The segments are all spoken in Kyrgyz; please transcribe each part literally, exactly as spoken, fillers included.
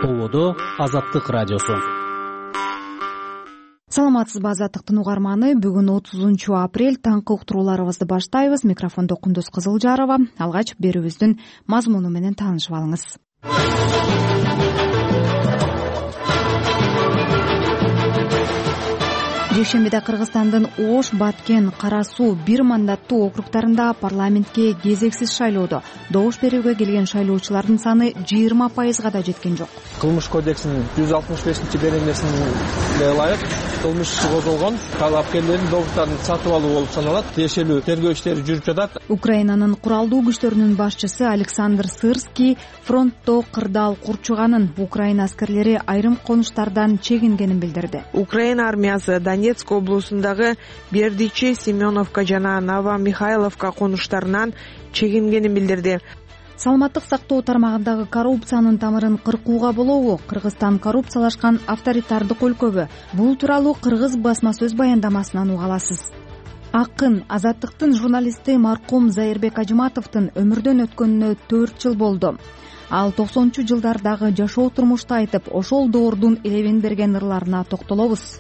Толодо Азаттык радиосу. Саламатсызбы азаттыктын угарманы, бүгүн отузунчу апрель таңкы уктурууларыбызды баштайбыз. Микрофондо Кундуз Кызылжарова. Алгач берүүбүздүн мазмуну менен таанышып алыңыз. Жекшембиде Кыргызстандын Ош, Баткен, Кара Суу бир мандаттуу округдарында парламентке кезексиз шайлоодо добуш берүүгө келген шайлоочулардын саны жыйырма пайызга да жеткен жок. Кылмыш кодексинин жүз алтымыш бешинчи беренесине ылайык кылмыш козголгон, талапкерлердин добуштарын сатып алуу болуп саналат. Тиешелүү тергөө иштери жүрүп жатат. Украинанын куралдуу күчтөрүнүн башчысы Александр Сырский фронтто кырдаал курчуганын, Украина аскерлери айрым конуштардан чегингенин билдирди. Украина армиясы Донецк облусундагы Бердичи, Семеновка жана Новомихайловка конуштарынан чегингенин билдирди. Саламаттык сактоо тармагындагы коррупциянын тамырын кыркууга болобу? Кыргызстан коррупциялашкан авторитардык өлкөбү? Бул тууралуу Кыргыз басма сөз баяндамасынан уга аласыз. Акын Азаттыктын журналисти маркум Зайырбек Ажыматовдун өмүрдөн өткөнүнө төрт жыл болду. Ал токсонунчу жылдардагы жашоо турмушту айтып, ошол доордун элебин берген ырларына токтолобуз.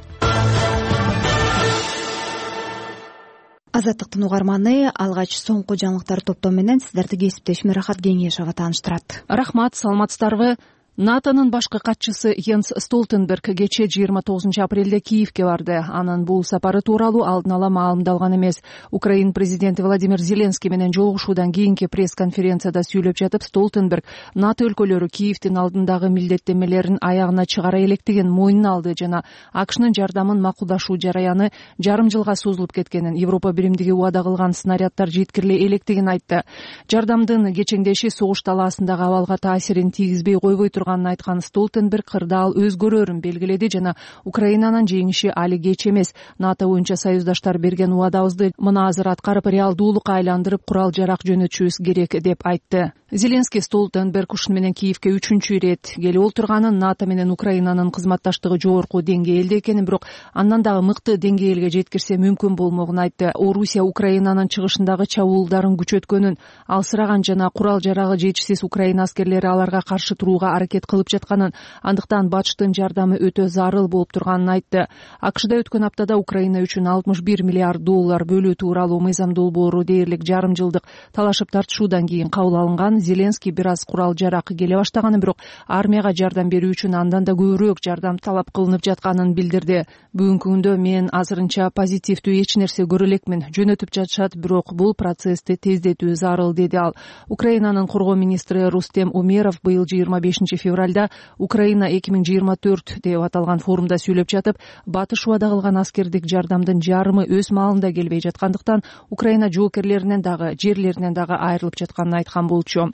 Азаттыктын угарманы, алгач соңку жаңылыктар топтому менен сиздерди кесиптешим Рахат Кеңешова тааныштырат. Рахмат, саламатсыздарбы? НАТОнун башкы катчысы Йенс Столтенберг кечээ жыйырма тогузунчу апрелде Киевке барды. Анын бул сапары тууралуу алдын ала маалымдалган эмес. Украин президенти Владимир Зеленский менен жолугушуудан кийинки пресс-конференцияда сүйлөп жатып, Столтенберг НАТО өлкөлөрү Киевдин алдындагы милдеттенмелерин аягына чыгара электигин мойнуна алды жана АКШнын жардамын макулдашуу жараяны жарым жылга созулуп кеткенин, Европа биримдиги убада кылган снаряддар жеткириле электигин айтты. Жардамдын кечеңдеши согуш талаасындагы абалга таасирин тийгизбей койбой айткан Столтенберг кырдаал өзгөрөрүн белгиледи жана Украинанын жеңиши али кеч эмес. НАТО боюнча союздаштар берген убадабызды мына азыр аткарып, реалдуулукка айландырып, курал жарак жөнөтүшүбүз керек деп айтты. Зеленский Столтенберг ушуну менен Киевке үчүнчү ирет келип олтурганын, НАТО менен Украинанын кызматташтыгы жогорку деңгээлде экенин, бирок андан дагы мыкты деңгээлге жеткирсе мүмкүн болмогун айтты. Орусия Украинанын чыгышындагы чабуулдарын күчөткөнүн, алсыраган жана курал жарагы жетишсиз Украина аскерлери аларга каршы турууга аракет кылып жатканын, андыктан батыштын жардамы өтө зарыл болуп турганын айтты. АКШда өткөн аптада Украина үчүн алтымыш бир миллиард доллар бөлүү тууралуу мыйзам долбоору дээрлик жарым жылдык талашып тартышуудан кийин кабыл алынган. Зеленский бир аз курал жарак келе баштаганын, бирок армияга жардам берүү үчүн андан да көбүрөөк жардам талап кылынып жатканын билдирди. Бүгүнкү күндө мен азырынча позитивдүү эч нерсе көрө элекмин. Жөнөтүп жатышат, бирок бул процессти тездетүү зарыл, деди ал. Украинанын коргоо министри Рустем Умеров быйыл жыйырма бешинчи февралда Украина эки миң жыйырма төрт деп аталган форумда сүйлөп жатып, батыш убада кылган аскердик жардамдын жарымы өз маалында келбей жаткандыктан Украина жоокерлеринен дагы, жерлеринен дагы айрылып жатканын айткан болчу.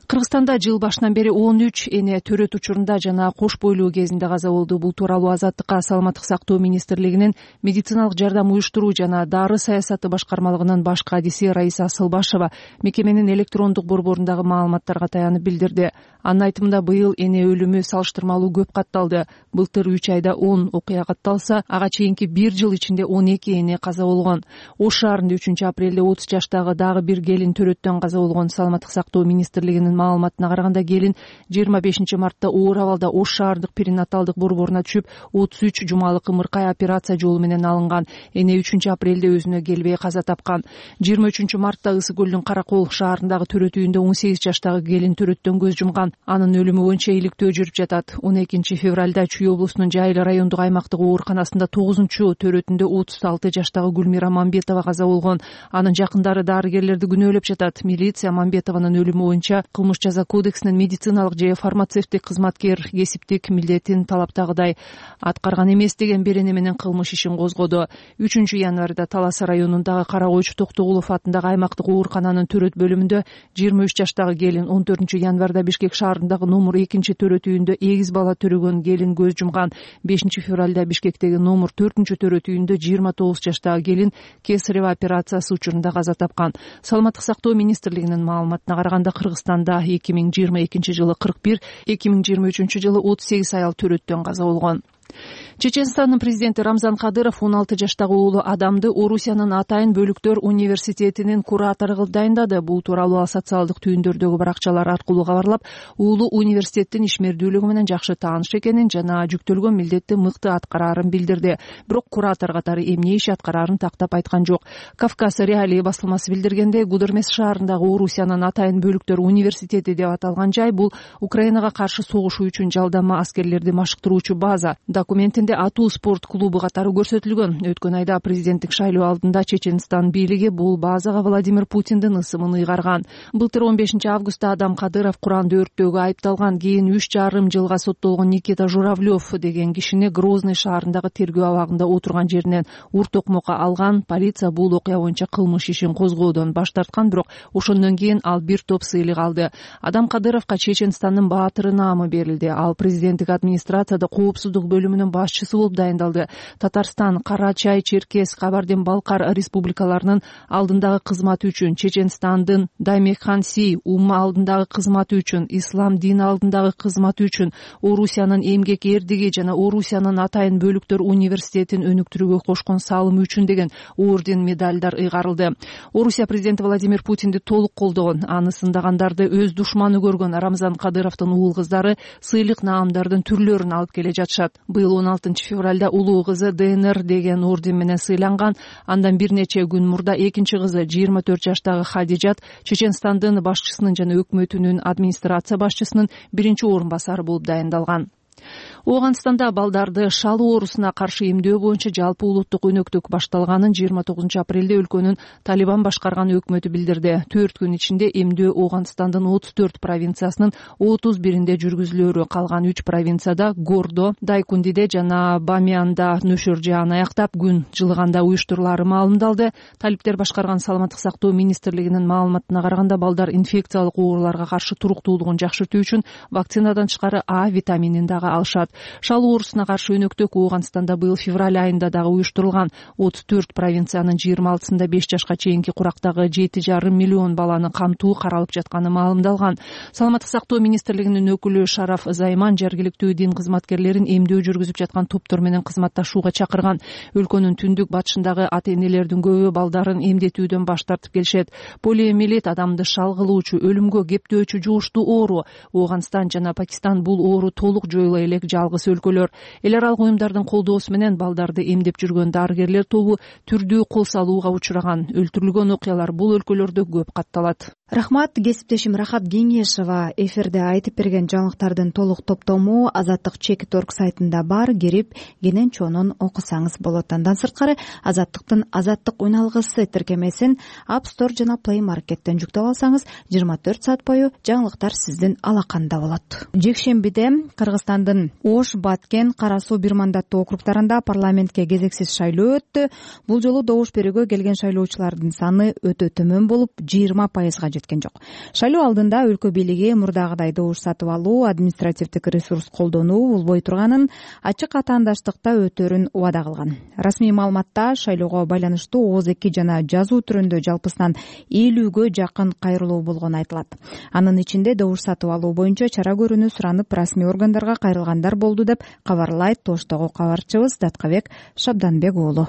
Кыргызстанда жыл башынан бери он үч эне төрөт учурунда жана кош бойлуу кезинде каза болду. Бул тууралуу Азаттыкка Саламаттык сактоо министрлигинин медициналык жардам уюштуруу жана дары саясаты башкармалыгынын баш кадиси Раиса Асылбашева мекеменин электрондук борборундагы маалыматтарга таянып билдирди. Анын айтымында, быйыл эне өлүмү салыштырмалуу көп катталды. Былтыр үч айда он окуя катталса, ага чейинки бир жыл ичинде он эки эне каза болгон. Ош шаарында үчүнчү апрелде отуз жаштагы дагы бир келин төрөттөн каза болгон. Саламаттык сактоо министрлигинин маалыматына караганда, келин жыйырма бешинчи мартта оор абалда Ош шаардык перинаталдык борборуна түшүп, отуз үч жумалык ымыркай операция жолу менен алынган. Эне үчүнчү апрелде өзүнө келбей каза тапкан. жыйырма үчүнчү мартта Ысык көлдүн Каракол шаарындагы төрөт үйүндө он сегиз жаштагы келин төрөттөн көз жумган. Анын өлүмү боюнча иликтөө жүрүп жатат. он экинчи февралда Чүй облусунун Жайыл райондук аймактык ооруканасында тогузунчу төрөтүндө отуз алты жаштагы Гүлмира Мамбетова каза болгон. Анын жакындары дарыгерлерди күнөөлөп жатат. Милиция Мамбетованын өлүмү боюнча кылмыш жаза кодексинин медициналык же фармацевтик кызматкер кесиптик милдетин талаптагыдай аткарган эмес деген берене менен кылмыш ишин козгоду. үчүнчү январда Талас районундагы Карагойчу Токтогулов атындагы аймактык оорукананын төрөт бөлүмүндө жыйырма үч жаштагы келин, он төртүнчү январда Бишкек шаарындагы номер экинчи төрөт үйүндө эгиз бала төрөгөн келин көз жумган. бешинчи февралда Бишкектеги номер төртүнчү төрөт үйүндө жыйырма тогуз жаштагы келин кесарева операциясы учурунда каза тапкан. Саламаттык сактоо министрлигинин маалыматына караганда, Кыргызстанда эки миң жыйырма экинчи жылы кырк бир, эки миң жыйырма үчүнчү жылы отуз сегиз аял төрөттөн каза болгон. Чеченстандын президенти Рамзан Кадыров он алты жаштагы уулу Адамды Орусиянын Атайын бөлүктөр университетинин куратору кылып дайындады. Бул тууралуу ал социалдык түйүндөрдөгү баракчалар аркылуу кабарлап, уулу университеттин ишмердүүлүгү менен жакшы тааныш экенин жана жүктөлгөн милдетти мыкты аткараарын билдирди. Бирок куратор катары эмне иш аткараарын тактап айткан жок. Кавказ реалии басылмасы билдиргендей, Гудермес шаарындагы Орусиянын Атайын бөлүктөр университети деп аталган жай бул Украинага каршы согушуу үчүн жалдама аскерлерди машыктыруучу база. Документинде атуу спорт клубу катары көрсөтүлгөн. Өткөн айда президенттик шайлоо алдында Чеченстан бийлиги бул базага Владимир Путиндин ысымын ыйгарган. Былтыр он бешинчи августта Адам Кадыров Куранды өрттөөгө айыпталган. Кийин үч жарым жылга соттолгон Никита Журавлев деген кишини Грозный шаарындагы тергөө абагында отурган жеринен ур токмокко алган. Полиция бул окуя боюнча кылмыш ишин козгоодон баш тарткан, бирок ошондон кийин ал бир топ сыйлык алды. Адам Кадыровго Чеченстандын баатыры наамы берилди. Ал президенттик администрацияда коопсуздук бөлүмүнүн башчысы болуп дайындалды. Татарстан, Карачай, Черкес, Кабардин-Балкар республикаларынын алдындагы кызматы үчүн, Чеченстандын Даймекханси умма алдындагы кызматы үчүн, ислам дини алдындагы кызматы үчүн, Орусиянын эмгек эрдиги жана Орусиянын Атайын бөлүктөр университетин өнүктүрүүгө кошкон салымы үчүн деген орден, медалдар ыйгарылды. Орусия президенти Владимир Путинди толук колдогон, аны сындагандарды өз душманы көргөн Рамзан Кадыровдун уул кыздары сыйлык наамдардын түрлөрүн алып келе жатышат. Быйыл он алтынчы февралда улуу кызы ДНР деген орден менен сыйланган. Андан бир нече күн мурда экинчи кызы жыйырма төрт жаштагы Хадижат Чеченстандын башчысынын жана өкмөтүнүн администрация башчысынын биринчи орун басары болуп дайындалган. Ооганстанда балдарды шалуу оорусуна каршы эмдөө боюнча жалпы улуттук өнөктүк башталганын жыйырма тогузунчу апрелде өлкөнүн Талибан башкарган өкмөтү билдирди. төрт күн ичинде эмдөө Ооганстандын отуз төрт провинциясынын отуз биринде жүргүзүлөөрү, калган үч провинцияда Гордо, Дайкундиде жана Бамианда нөшөр жаан аяктап, күн жылыганда уюштурулаары маалымдалды. Талиптер башкарган саламаттык сактоо министрлигинин маалыматына караганда, балдар инфекциялык ооруларга каршы туруктуулугун жакшыртуу үчүн вакцинадан тышкары А витаминин дагы алышат. Шалуу оорусуна каршы өнөктүк Ооганстанда быйыл февраль айында дагы уюштурулган. отуз төрт провинциянын жыйырма алтысында беш жашка чейинки курактагы жети жарым миллион баланы камтуу каралып жатканы маалымдалган. Саламаттык сактоо министрлигинин өкүлү Шараф Займан жергиликтүү дин кызматкерлерин эмдөө жүргүзүп жаткан топтор менен кызматташууга чакырган. Өлкөнүн түндүк батышындагы ата-энелердин көбү балдарын эмдетүүдөн баш тартып келишет. Полиомиелит адамды шал кылуучу, өлүмгө кептөөчү жугуштуу оору. Ооганстан жана Пакистан бул оору толук жоюла элек жалгыз өлкөлөр. Эл аралык уюмдардын колдоосу менен балдарды эмдеп жүргөн дарыгерлер тобу түрдүү кол салууга учураган. Өлтүрүлгөн окуялар бул өлкөлөрдө көп катталат. Рахмат, кесиптешим Рахат Кеңешова. Эфирде айтып берген жаңылыктардын толук топтому Азаттык чек точка орг сайтында бар, кирип кенен чонун окусаңыз болот. Андан сырткары Азаттыктын Азаттык уйналгысы тиркемесин App Store жана Play Market'тен жүктөп алсаңыз, жыйырма төрт саат бою жаңылыктар сиздин алаканда болот. Жекшембиде Кыргызстандын Ош, Баткен, Кара Суу бир мандаттуу округдарында парламентке кезексиз шайлоо өттү. Бул жолу добуш берүүгө келген шайлоочулардын саны өтө төмөн болуп, жыйырма пайызга жеткен жок. Шайлоо алдында өлкө бийлиги мурдагыдай добуш сатып алуу, административдик ресурс колдонуу болбой турганын, ачык атаандаштыкта өтөрүн убада кылган. Расмий маалыматта шайлоого байланыштуу ооз эки жана жазуу түрүндө жалпысынан элүүгө жакын кайрылуу болгону айтылат. Анын ичинде добуш сатып алуу боюнча чара көрүүнү суранып расмий органдарга кайрылгандар болду деп кабарлайт Тоштогу кабарчыбыз Даткабек Шабданбек уулу.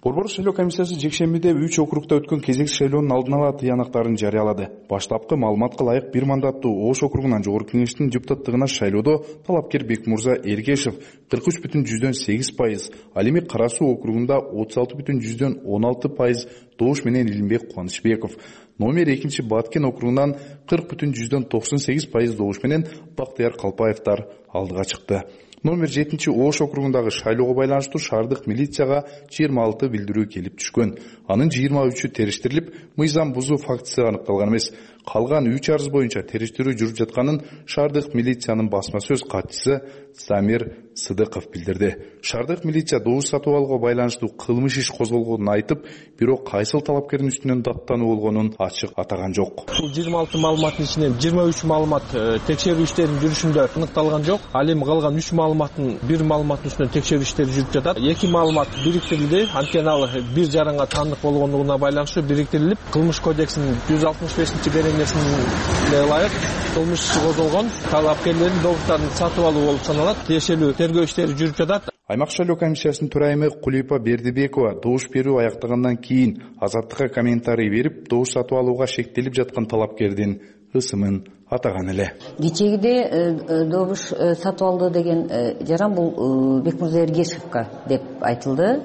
Борбор шайлоо комиссиясы жекшембиде үч округда өткөн кезекси шайлоонун алдын ала тыянактарын жарыялады. Баштапкы маалыматка ылайык бир мандаттуу Ош округунан жогорку кеңештин депутаттыгына шайлоодо талапкер Бекмурза Эргешев кырк үч бүтүн жүздөн сегиз пайыз, ал эми Кара Суу округунда отуз алты бүтүн жүздөн он алты пайыз добуш менен Илимбек Кубанычбеков, номер экинчи Баткен округунан кырк бүтүн жүздөн токсон сегиз пайыз добуш менен Бактыяр Калпаевдер алдыга чыкты. Номер жетинчи Ош округундагы шайлоого байланыштуу шаардык милицияга жыйырма алты билдирүү келип түшкөн. Анын жыйырма үчү териштирилип, мыйзам бузуу фактысы аныкталган эмес. Калган үч арыз боюнча териштирүү жүрүп жатканын шаардык милициянын басма сөз катчысы Самир Сыдыков билдирди. Шаардык милиция добуш сатып алууга байланыштуу кылмыш иш козголгонун айтып, бирок кайсыл талапкердин үстүнөн даттануу болгонун ачык атаган жок. Бул жыйырма алты маалыматтын ичинен жыйырма үч маалымат текшерүү иштеринин жүрүшүндө аныкталган жок. Ал эми калган үч маалыматтын бир маалыматтын үстүнөн текшерүү иштери жүрүп жатат. Эки маалымат бириктирилди. Анткени ал бир жаранга таандык болгондугуна байланыштуу бириктирилип, кылмыш кодексинин жүз алтымыш бешинчи беренесине ылайык кылмыш иши козголгон. Талапкерлердин добуштарын сатып алуу болуп саналат. Тиешелүү тергөө иштери жүрүп жатат. Аймак шайлоо комиссиясынын төрайымы Кулипа Бердибекова добуш берүү аяктагандан кийин Азаттыкка комментарий берип, добуш сатып алууга шектелип жаткан талапкердин ысымын атаган эле. Кечегиде добуш сатып алды деген жаран бул Бекмурза Эргешевка деп айтылды.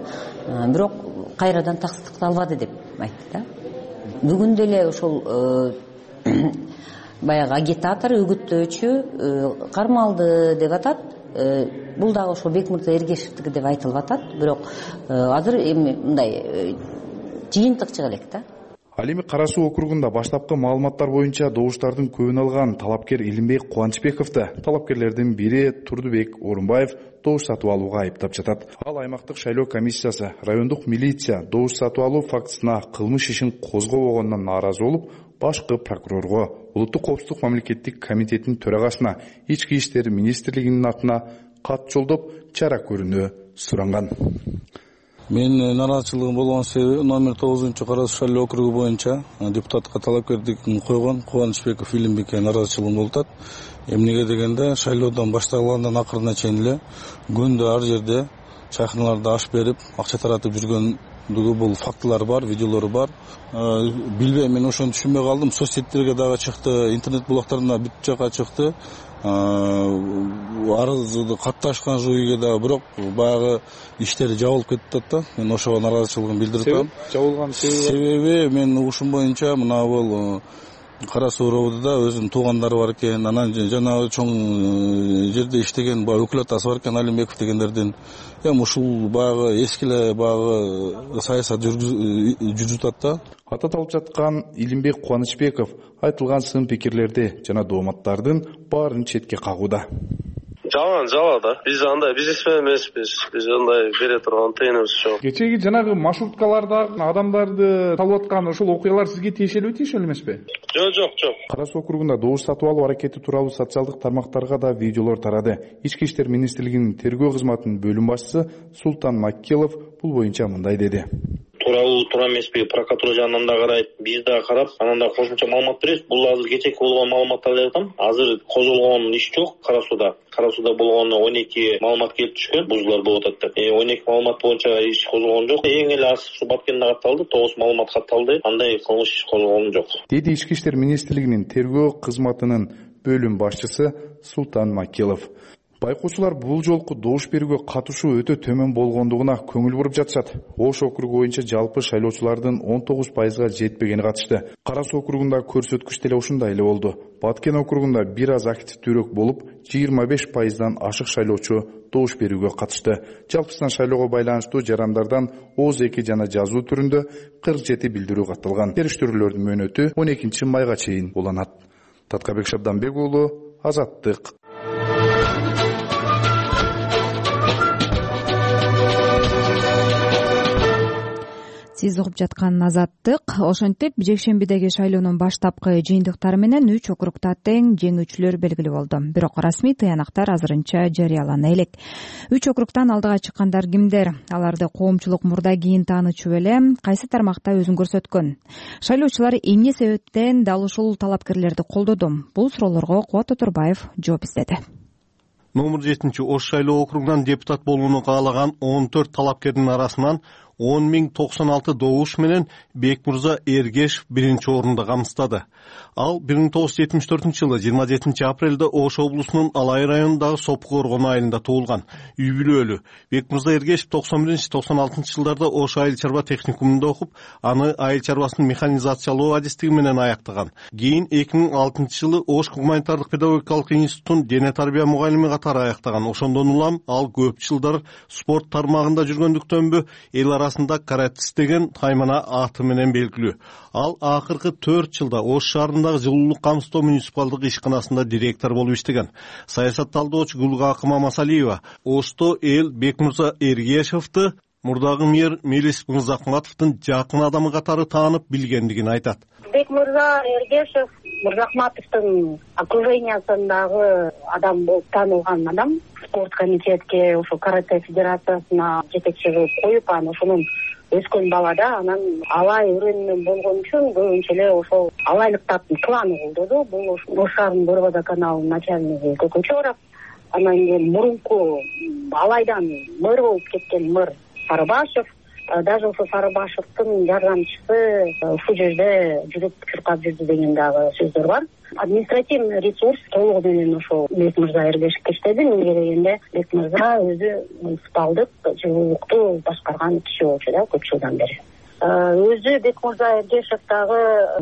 Бирок кайрадан тастыкталбады деп айтты да. Бүгүн деле ошол баягы агитатор, үгүттөөчү кармалды деп атат. Бул дагы ошо Бекмурза Эргешевдики деп айтылып атат. Бирок азыр эми мындай жыйынтык чыга элек да. Ал эми Кара Суу округунда баштапкы маалыматтар боюнча добуштардын көбүн алган талапкер Илимбек Кубанычбековду талапкерлердин бири Турдубек Орунбаев добуш сатып алууга айыптап жатат. Ал аймактык шайлоо комиссиясы, райондук милиция добуш сатып алуу фактысына кылмыш ишин козгобогондон нааразы болуп, башкы прокурорго, Улуттук коопсуздук мамлекеттик комитетинин төрагасына, Ички иштер министрлигинин атына кат жолдоп, чара көрүүнү суранган. Мен нараазычылыгым болгон себеби номер тогузунчу Кара Суу шайлоо округу боюнча депутатка талапкерлигин койгон Кубанычбеков Илимбекке нараазычылыгым болуп атат. Эмнеге дегенде шайлоодон башталгандан акырына чейин эле күндө ар жерде чайканаларда аш берип, акча таратып жүргөндүгү бул фактылар бар, видеолору бар. Билбейм, мен ошону түшүнбөй калдым. Соцсеттерге дагы чыкты, интернет булактарына бүт жака чыкты. Арызды катташкан жүйгө да, бирок баягы иштери жабылып кетип да. Мен ошого нараазычылыгымды билдирип атам. Жабылган себеби мен угушум боюнча мына бул Кара Суу роодунда өзүнүн туугандары бар экен, анан жана чоң жерде иштеген баягы өкүлатасы бар экен, Алимбеков дегендердин. Эми ушул баягы эски эле баягы саясат жүргүзүп атат да. Ататалып жаткан Илимбек Кубанычбеков айтылган сын пикирлерди жана дооматтардын баарын четке кагууда. Жалган, жала да. Биз андай бизнесмен эмеспиз. Биз андай бере турган тыйыныбыз жок. Кечеги жанагы маршруткаларда адамдарды салып аткан ошол окуялар сизге тиешелүү тиешелүү эмеспи? Жок, жок, жок. Кара Суу округунда добуш сатып алуу аракети тууралуу социалдык тармактарга да видеолор тарады. Ички иштер министрлигинин тергөө кызматынын бөлүм башчысы Султан Маккелов бул боюнча мындай деди. Тууралуу туура эмеспи, прокуратура жагынан да карайт, биз да карап, анан да кошумча маалымат беребиз. Бул азыр кечеки болгон маалыматтар деп атам. Азыр козголгон иш жок Кара Сууда. Кара Сууда болгону он эки маалымат келип түшкөн, бузуулар болуп атат деп. он эки маалымат боюнча иш козголгон жок. Эң эле аз ушу Баткенде катталды, тогуз маалымат катталды. Андай кылмыш иш козголгон жок. Деди Ички иштер министрлигинин тергөө кызматынын бөлүм башчысы Султан Маккелов. Байкоочулар бул жолку добуш берүүгө катышуу өтө төмөн болгондугуна көңүл буруп жатышат. Ош округу боюнча жалпы шайлоочулардын он тогуз пайызга жетпегени катышты. Кара Суу округунда көрсөткүч деле ушундай эле болду. Баткен округунда бир аз активдүүрөөк болуп, жыйырма беш пайыздан ашык шайлоочу добуш берүүгө катышты. Жалпысынан шайлоого байланыштуу жарандардан ооз эки жана жазуу түрүндө кырк жети билдирүү катталган. Териштирүүлөрдүн мөөнөтү он экинчи майга чейин уланат. Таткабек Шабданбек уулу, Азаттык. Сиз угуп жаткан Азаттык. Ошентип, жекшембидеги шайлоонун баштапкы жыйынтыктары менен үч округда тең жеңүүчүлөр белгилүү болду. Бирок расмий тыянактар азырынча жарыялана элек. Үч округдан алдыга чыккандар кимдер? Аларды коомчулук мурда кийин таанычу эле, кайсы тармакта өзүн көрсөткөн? Шайлоочулар эмне себептен дал ушул талапкерлерди колдоду? Бул суроолорго Кубат Отурбаев жооп издеди. Номер жетинчи Ош шайлоо округунан депутат болууну каалаган он төрт талапкердин арасынан он миң токсон алты добуш менен Бекмурза Эргешев биринчи орунда камсыздады. Ал бир миң тогуз жүз жетимиш төртүнчү жылы жыйырма жетинчи апрелде Ош облусунун Алай районундагы Сопу Коргон айылында туулган. Үй бүлөлүү. Бекмурза Эргешев токсон биринчи токсон алтынчы жылдарда Ош айыл чарба техникумунда окуп, аны айыл чарбасын механизациялоо адистиги менен аяктаган. Кийин эки миң алтынчы жылы Ош гуманитардык педагогикалык институтун дене тарбия мугалими катары аяктаган. Ошондон улам ал көп жылдар спорт тармагында жүргөндүктөнбү эл арасында каратист деген таймана аты менен белгилүү. Ал акыркы төрт жылда Ош шаарындагы жылуулук камсыздоо муниципалдык ишканасында директор болуп иштеген. Саясат талдоочу Гүлгакы Мамасалиева Ошто эл Бекмурза Эргешевди мурдагы мэр Мелис Мырзахматовдун жакын адамы катары таанып билгендигин айтат. Бекмурза Эргешев Мырзахматовдун окружениясындагы адам болуп таанылган адам. Спорт комитетке, ошо карате федерациясына жетекчи кылып коюп, анан ошонун өскөн бала да, анан Алай өрөөнүнөн болгон үчүн көбүнчө эле ошол алайлыктардын кланы колдоду. Бул Ош шаарынын Борбода каналынын начальниги Көкөнчө Орап, анан кийин мурунку алайдан мэр болуп кеткен мэр Сарыбашев, даже ошо Сарыбашевдин жардамчысы ушул жерде жүрүп чуркап жүрдү деген дагы сөздөр бар. Административный ресурс толугу менен ошо Бекмырза Эргешевке иштеди. Мынга келгенде Бекмырза өзү муниципалдык жылуулукту башкарган киши болчу да көп жылдан бери. Өзү Бекмырза Эргешев дагы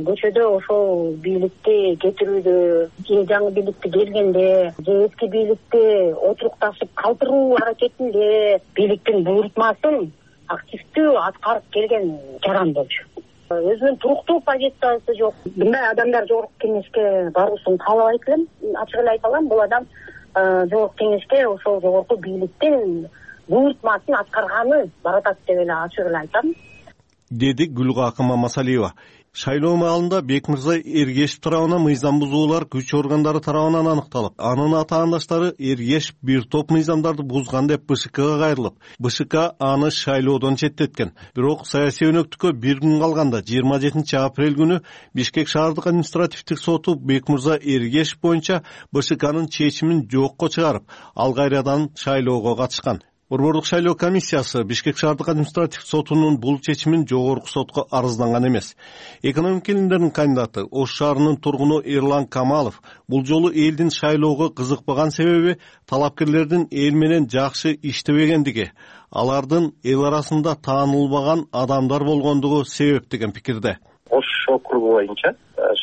көчөдө ошол бийликти кетирүүдө, жаңы бийликти келгенде же эски бийликти отурукташып калтыруу аракетинде бийликтин буйрутмасын активдүү аткарып келген жаран болчу. Өзүнүн туруктуу позициясы жок. Мындай адамдар жогорку кеңешке баруусун каалабайт элем. Ачык эле айта алам, бул адам жогорку кеңешке ошол жогорку бийликтин буйрутмасын аткарганы баратат деп эле ачык эле айтам, деди Гүлгакы Мамасалиева. Шайлоо маалында Бекмырза Эргешев тарабынан мыйзам бузуулар күч органдары тарабынан аныкталып, анын атаандаштары Эргешев бир топ мыйзамдарды бузган деп БШКга кайрылып, БШК аны шайлоодон четтеткен. Бирок саясий өнөктүккө бир күн калганда жыйырма жетинчи апрель күнү Бишкек шаардык административдик соту Бекмырза Эргешев боюнча БШКнын чечимин жокко чыгарып, ал кайрадан шайлоого катышкан. Борбордук шайлоо комиссиясы Бишкек шаардык административдик сотунун бул чечимин жогорку сотко арызданган эмес. Экономика илимдеринин кандидаты, Ош шаарынын тургуну Эрлан Камалов бул жолу элдин шайлоого кызыкпаган себеби талапкерлердин эл менен жакшы иштебегендиги, алардын эл арасында таанылбаган адамдар болгондугу себеп деген пикирде. Ош округу боюнча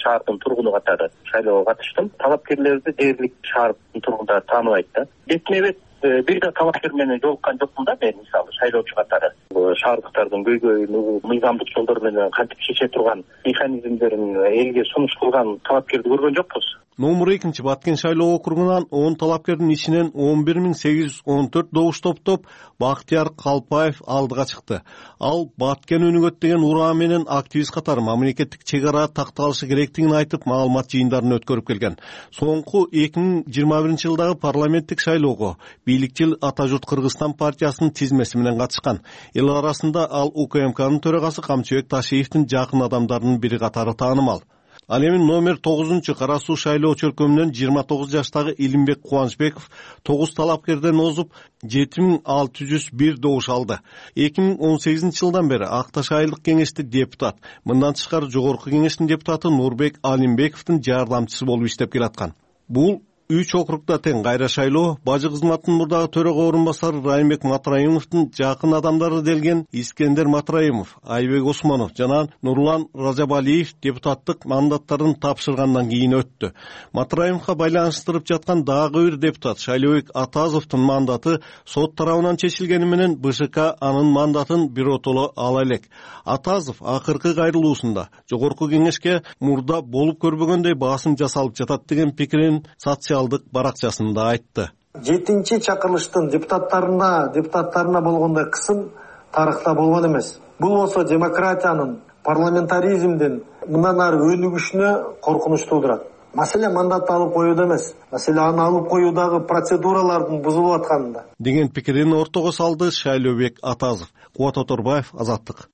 шаардын тургуну катары шайлоого катыштым. Талапкерлерди дээрлик шаардын тургундары тааныбайт да. Бетме бет бир да талапкер менен жолуккан жокмун да мен, мисалы шайлоочу катары. Шаардыктардын көйгөйүн угуп, мыйзамдык жолдор менен кантип чече турган механизмдерин элге сунуш кылган талапкерди көргөн жокпуз. Номер экинчи Баткен шайлоо округунан он талапкердин ичинен он бир миң сегиз жүз он төрт добуш топтоп Бактияр Калпаев алдыга чыкты. Ал Баткен өнүгөт деген ураа менен активист катары мамлекеттик чек ара такталышы керектигин айтып, маалымат жыйындарын өткөрүп келген. Соңку эки миң жыйырма биринчи жылдагы парламенттик шайлоого бийликчил Ата журт Кыргызстан партиясынын тизмеси менен катышкан. Эл арасында ал УКМКнын төрагасы Камчыбек Ташиевдин жакын адамдарынын бири катары таанымал. Ал эми номер тогузунчу Кара Суу шайлоо чөлкөмүнөн жыйырма тогуз жаштагы Илимбек Кубанычбеков тогуз талапкерден озуп жети миң алты жүз бир добуш алды. эки миң он сегизинчи жылдан бери Ак Таш айылдык кеңеште депутат, мындан тышкары жогорку кеңештин депутаты Нурбек Алимбековдун жардамчысы болуп иштеп келаткан. Бул үч округда тең кайра шайлоо бажы кызматынын мурдагы төрага орун басары Райымбек Матраимовдун жакын адамдары делген Искендер Матраимов, Айбек Осмонов жана Нурлан Ражабалиев депутаттык мандаттарын тапшыргандан кийин өттү. Матраимовго байланыштырып жаткан дагы бир депутат Шайлообек Атазовдун мандаты сот тарабынан чечилгени менен БШК анын мандатын биротоло ала элек. Атазов акыркы кайрылуусунда жогорку кеңешке мурда болуп көрбөгөндөй басым жасалып жатат деген пикирин социалдык баракчасында айтты. Жетинчи чакырылыштын депутаттарына депутаттарына болгондой кысым тарыхта болгон эмес. Бул болсо демократиянын, парламентаризмдин мындан ары өнүгүшүнө коркунуч туудурат. Маселе мандатты алып коюуда эмес, маселе аны алып коюудагы процедуралардын бузулуп атканында деген пикирин ортого салды Шайлообек Атазов. Кубат Оторбаев, Азаттык.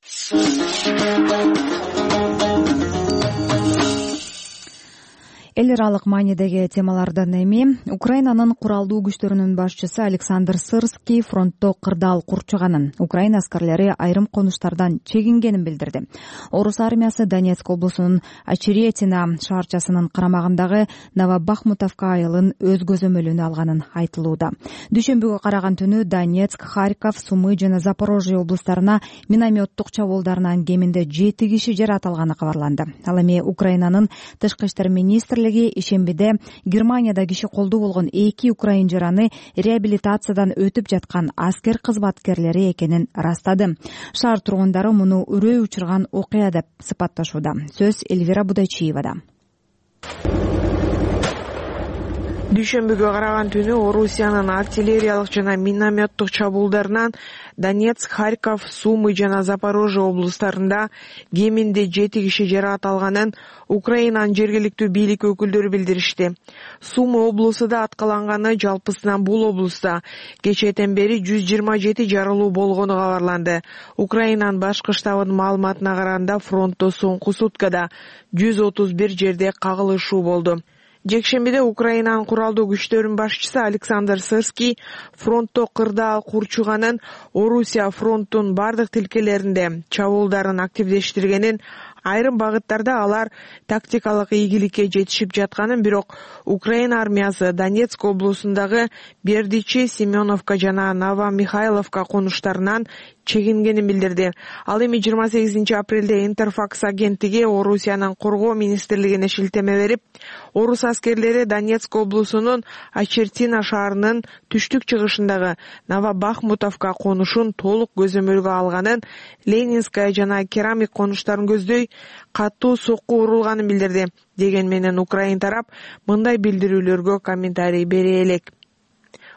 Эл аралык маанидеги темалардан эми Украинанын куралдуу күчтөрүнүн башчысы Александр Сырский фронтто кырдаал курчуганын, Украина аскерлери айрым конуштардан чегингенин билдирди. Орус армиясы Донецк облусунун Очеретино шаарчасынын карамагындагы Новобахмутовка айылын өз көзөмөлүнө алганын айтылууда. Дүйшөмбүгө караган түнү Донецк, Харьков, Сумы жана Запорожье облустарына минометтук чабуулдарынан кеминде жети киши жаракат алганы кабарланды. Ал эми Украинанын тышкы иштер министри ишембиде Германияда киши колдуу болгон эки украин жараны реабилитациядан өтүп жаткан аскер кызматкерлери экенин ырастады. Шаар тургундары муну үрөй учурган окуя деп сыпатташууда. Сөз Эльвира Будайчиевада. Дүйшөмбүгө караган түнү Орусиянын артиллериялык жана минометтук чабуулдарынан Донецк, Харьков, Сумы жана Запорожье облустарында кеминде жети киши жаракат алганын Украинанын жергиликтүү бийлик өкүлдөрү билдиришти. Сумы облусу да аткаланганы, жалпысынан бул облуста кечээден бери жүз жыйырма жети жарылуу болгону кабарланды. Украинанын башкы штабынын маалыматына караганда фронтто соңку суткада жүз отуз бир жерде кагылышуу болду. Жекшембиде Украинанын куралдуу күчтөрүнүн башчысы Александр Сырский фронтто кырдаал курчуганын, Орусия фронттун бардык тилкелеринде чабуулдарын активдештиргенин, айрым багыттарда алар тактикалык ийгиликке жетишип жатканын, бирок Украина армиясы Донецк облусундагы Бердичи, Семеновка жана Новомихайловка конуштарынан чегингенин билдирди. Ал эми жыйырма сегизинчи апрелде Интерфакс агенттиги Орусиянын коргоо министрлигине шилтеме берип, орус аскерлери Донецк облусунун Ачертина шаарынын түштүк-чыгышындагы Новобахмутовка конушун толук көзөмөлгө алганын, Ленинская жана Керамик конуштарын көздөй катуу сокку урулганын билдирди. Деген менен Украин тарап мындай билдирүүлөргө комментарий бере элек.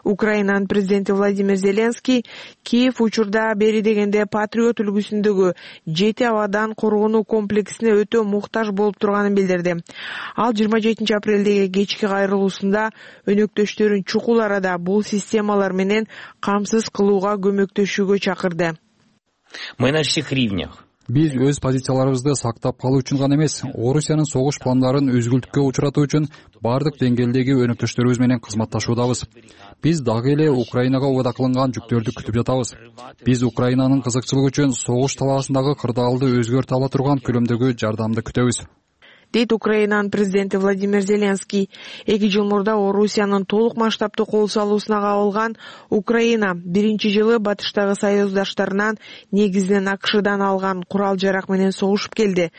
Украинанын президенти Владимир Зеленский Киев учурда бери дегенде Патриот үлгүсүндөгү жети абадан коргонуу комплексине өтө муктаж болуп турганын билдирди. Ал жыйырма жетинчи апрелдеги кечки кайрылуусунда өнөктөштөрүн чукул арада бул системалар менен камсыз кылууга көмөктөшүүгө чакырды. Мы на всех ривнях. Биз өз позицияларыбызды сактап калуу үчүн гана эмес, Орусиянын согуш пландарын үзгүлтүккө учуратуу үчүн бардык деңгээлдеги өнөктөштөрүбүз менен кызматташуудабыз. Биз дагы эле Украинага убада кылынган жүктөрдү күтүп жатабыз. Биз Украинанын кызыкчылыгы үчүн согуш талаасындагы кырдаалды өзгөртө ала турган көлөмдөгү жардамды күтөбүз, дейт Украинанын президенти Владимир Зеленский. Эки жыл мурда Орусиянын толук масштабтуу кол салуусуна кабылган Украина биринчи жылы батыштагы союздаштарынан, негизинен АКШдан алган курал жарак менен согушуп келди.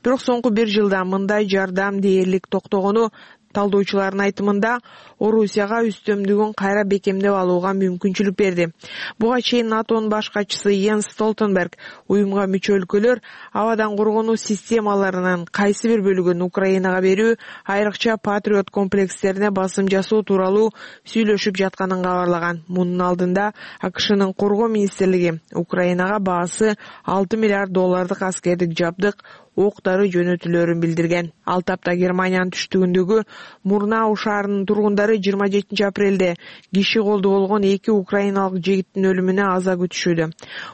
Бирок соңку бир жылда мындай жардам дээрлик токтогону талдоочулардын айтымында Орусияга үстөмдүгүн кайра бекемдеп алууга мүмкүнчүлүк берди. Буга чейин НАТОнун баш катчысы Йенс Столтенберг уюмга мүчө өлкөлөр абадан коргонуу системаларынын кайсы бир бөлүгүн Украинага берүү, айрыкча Патриот комплекстерине басым жасоо тууралуу сүйлөшүп жатканын кабарлаган. Мунун алдында АКШнын коргоо министрлиги Украинага баасы алты миллиард доллардык аскердик жабдык, оқ-дары жөнөтүлөрүн билдирген. Ал тапта Германиянын түштүгүндөгү Мурнау шаарынын тургундары жыйырма жетинчи апрелде киши колду болгон эки украиналык жигиттин өлүмүнө аза күтүшүүдө.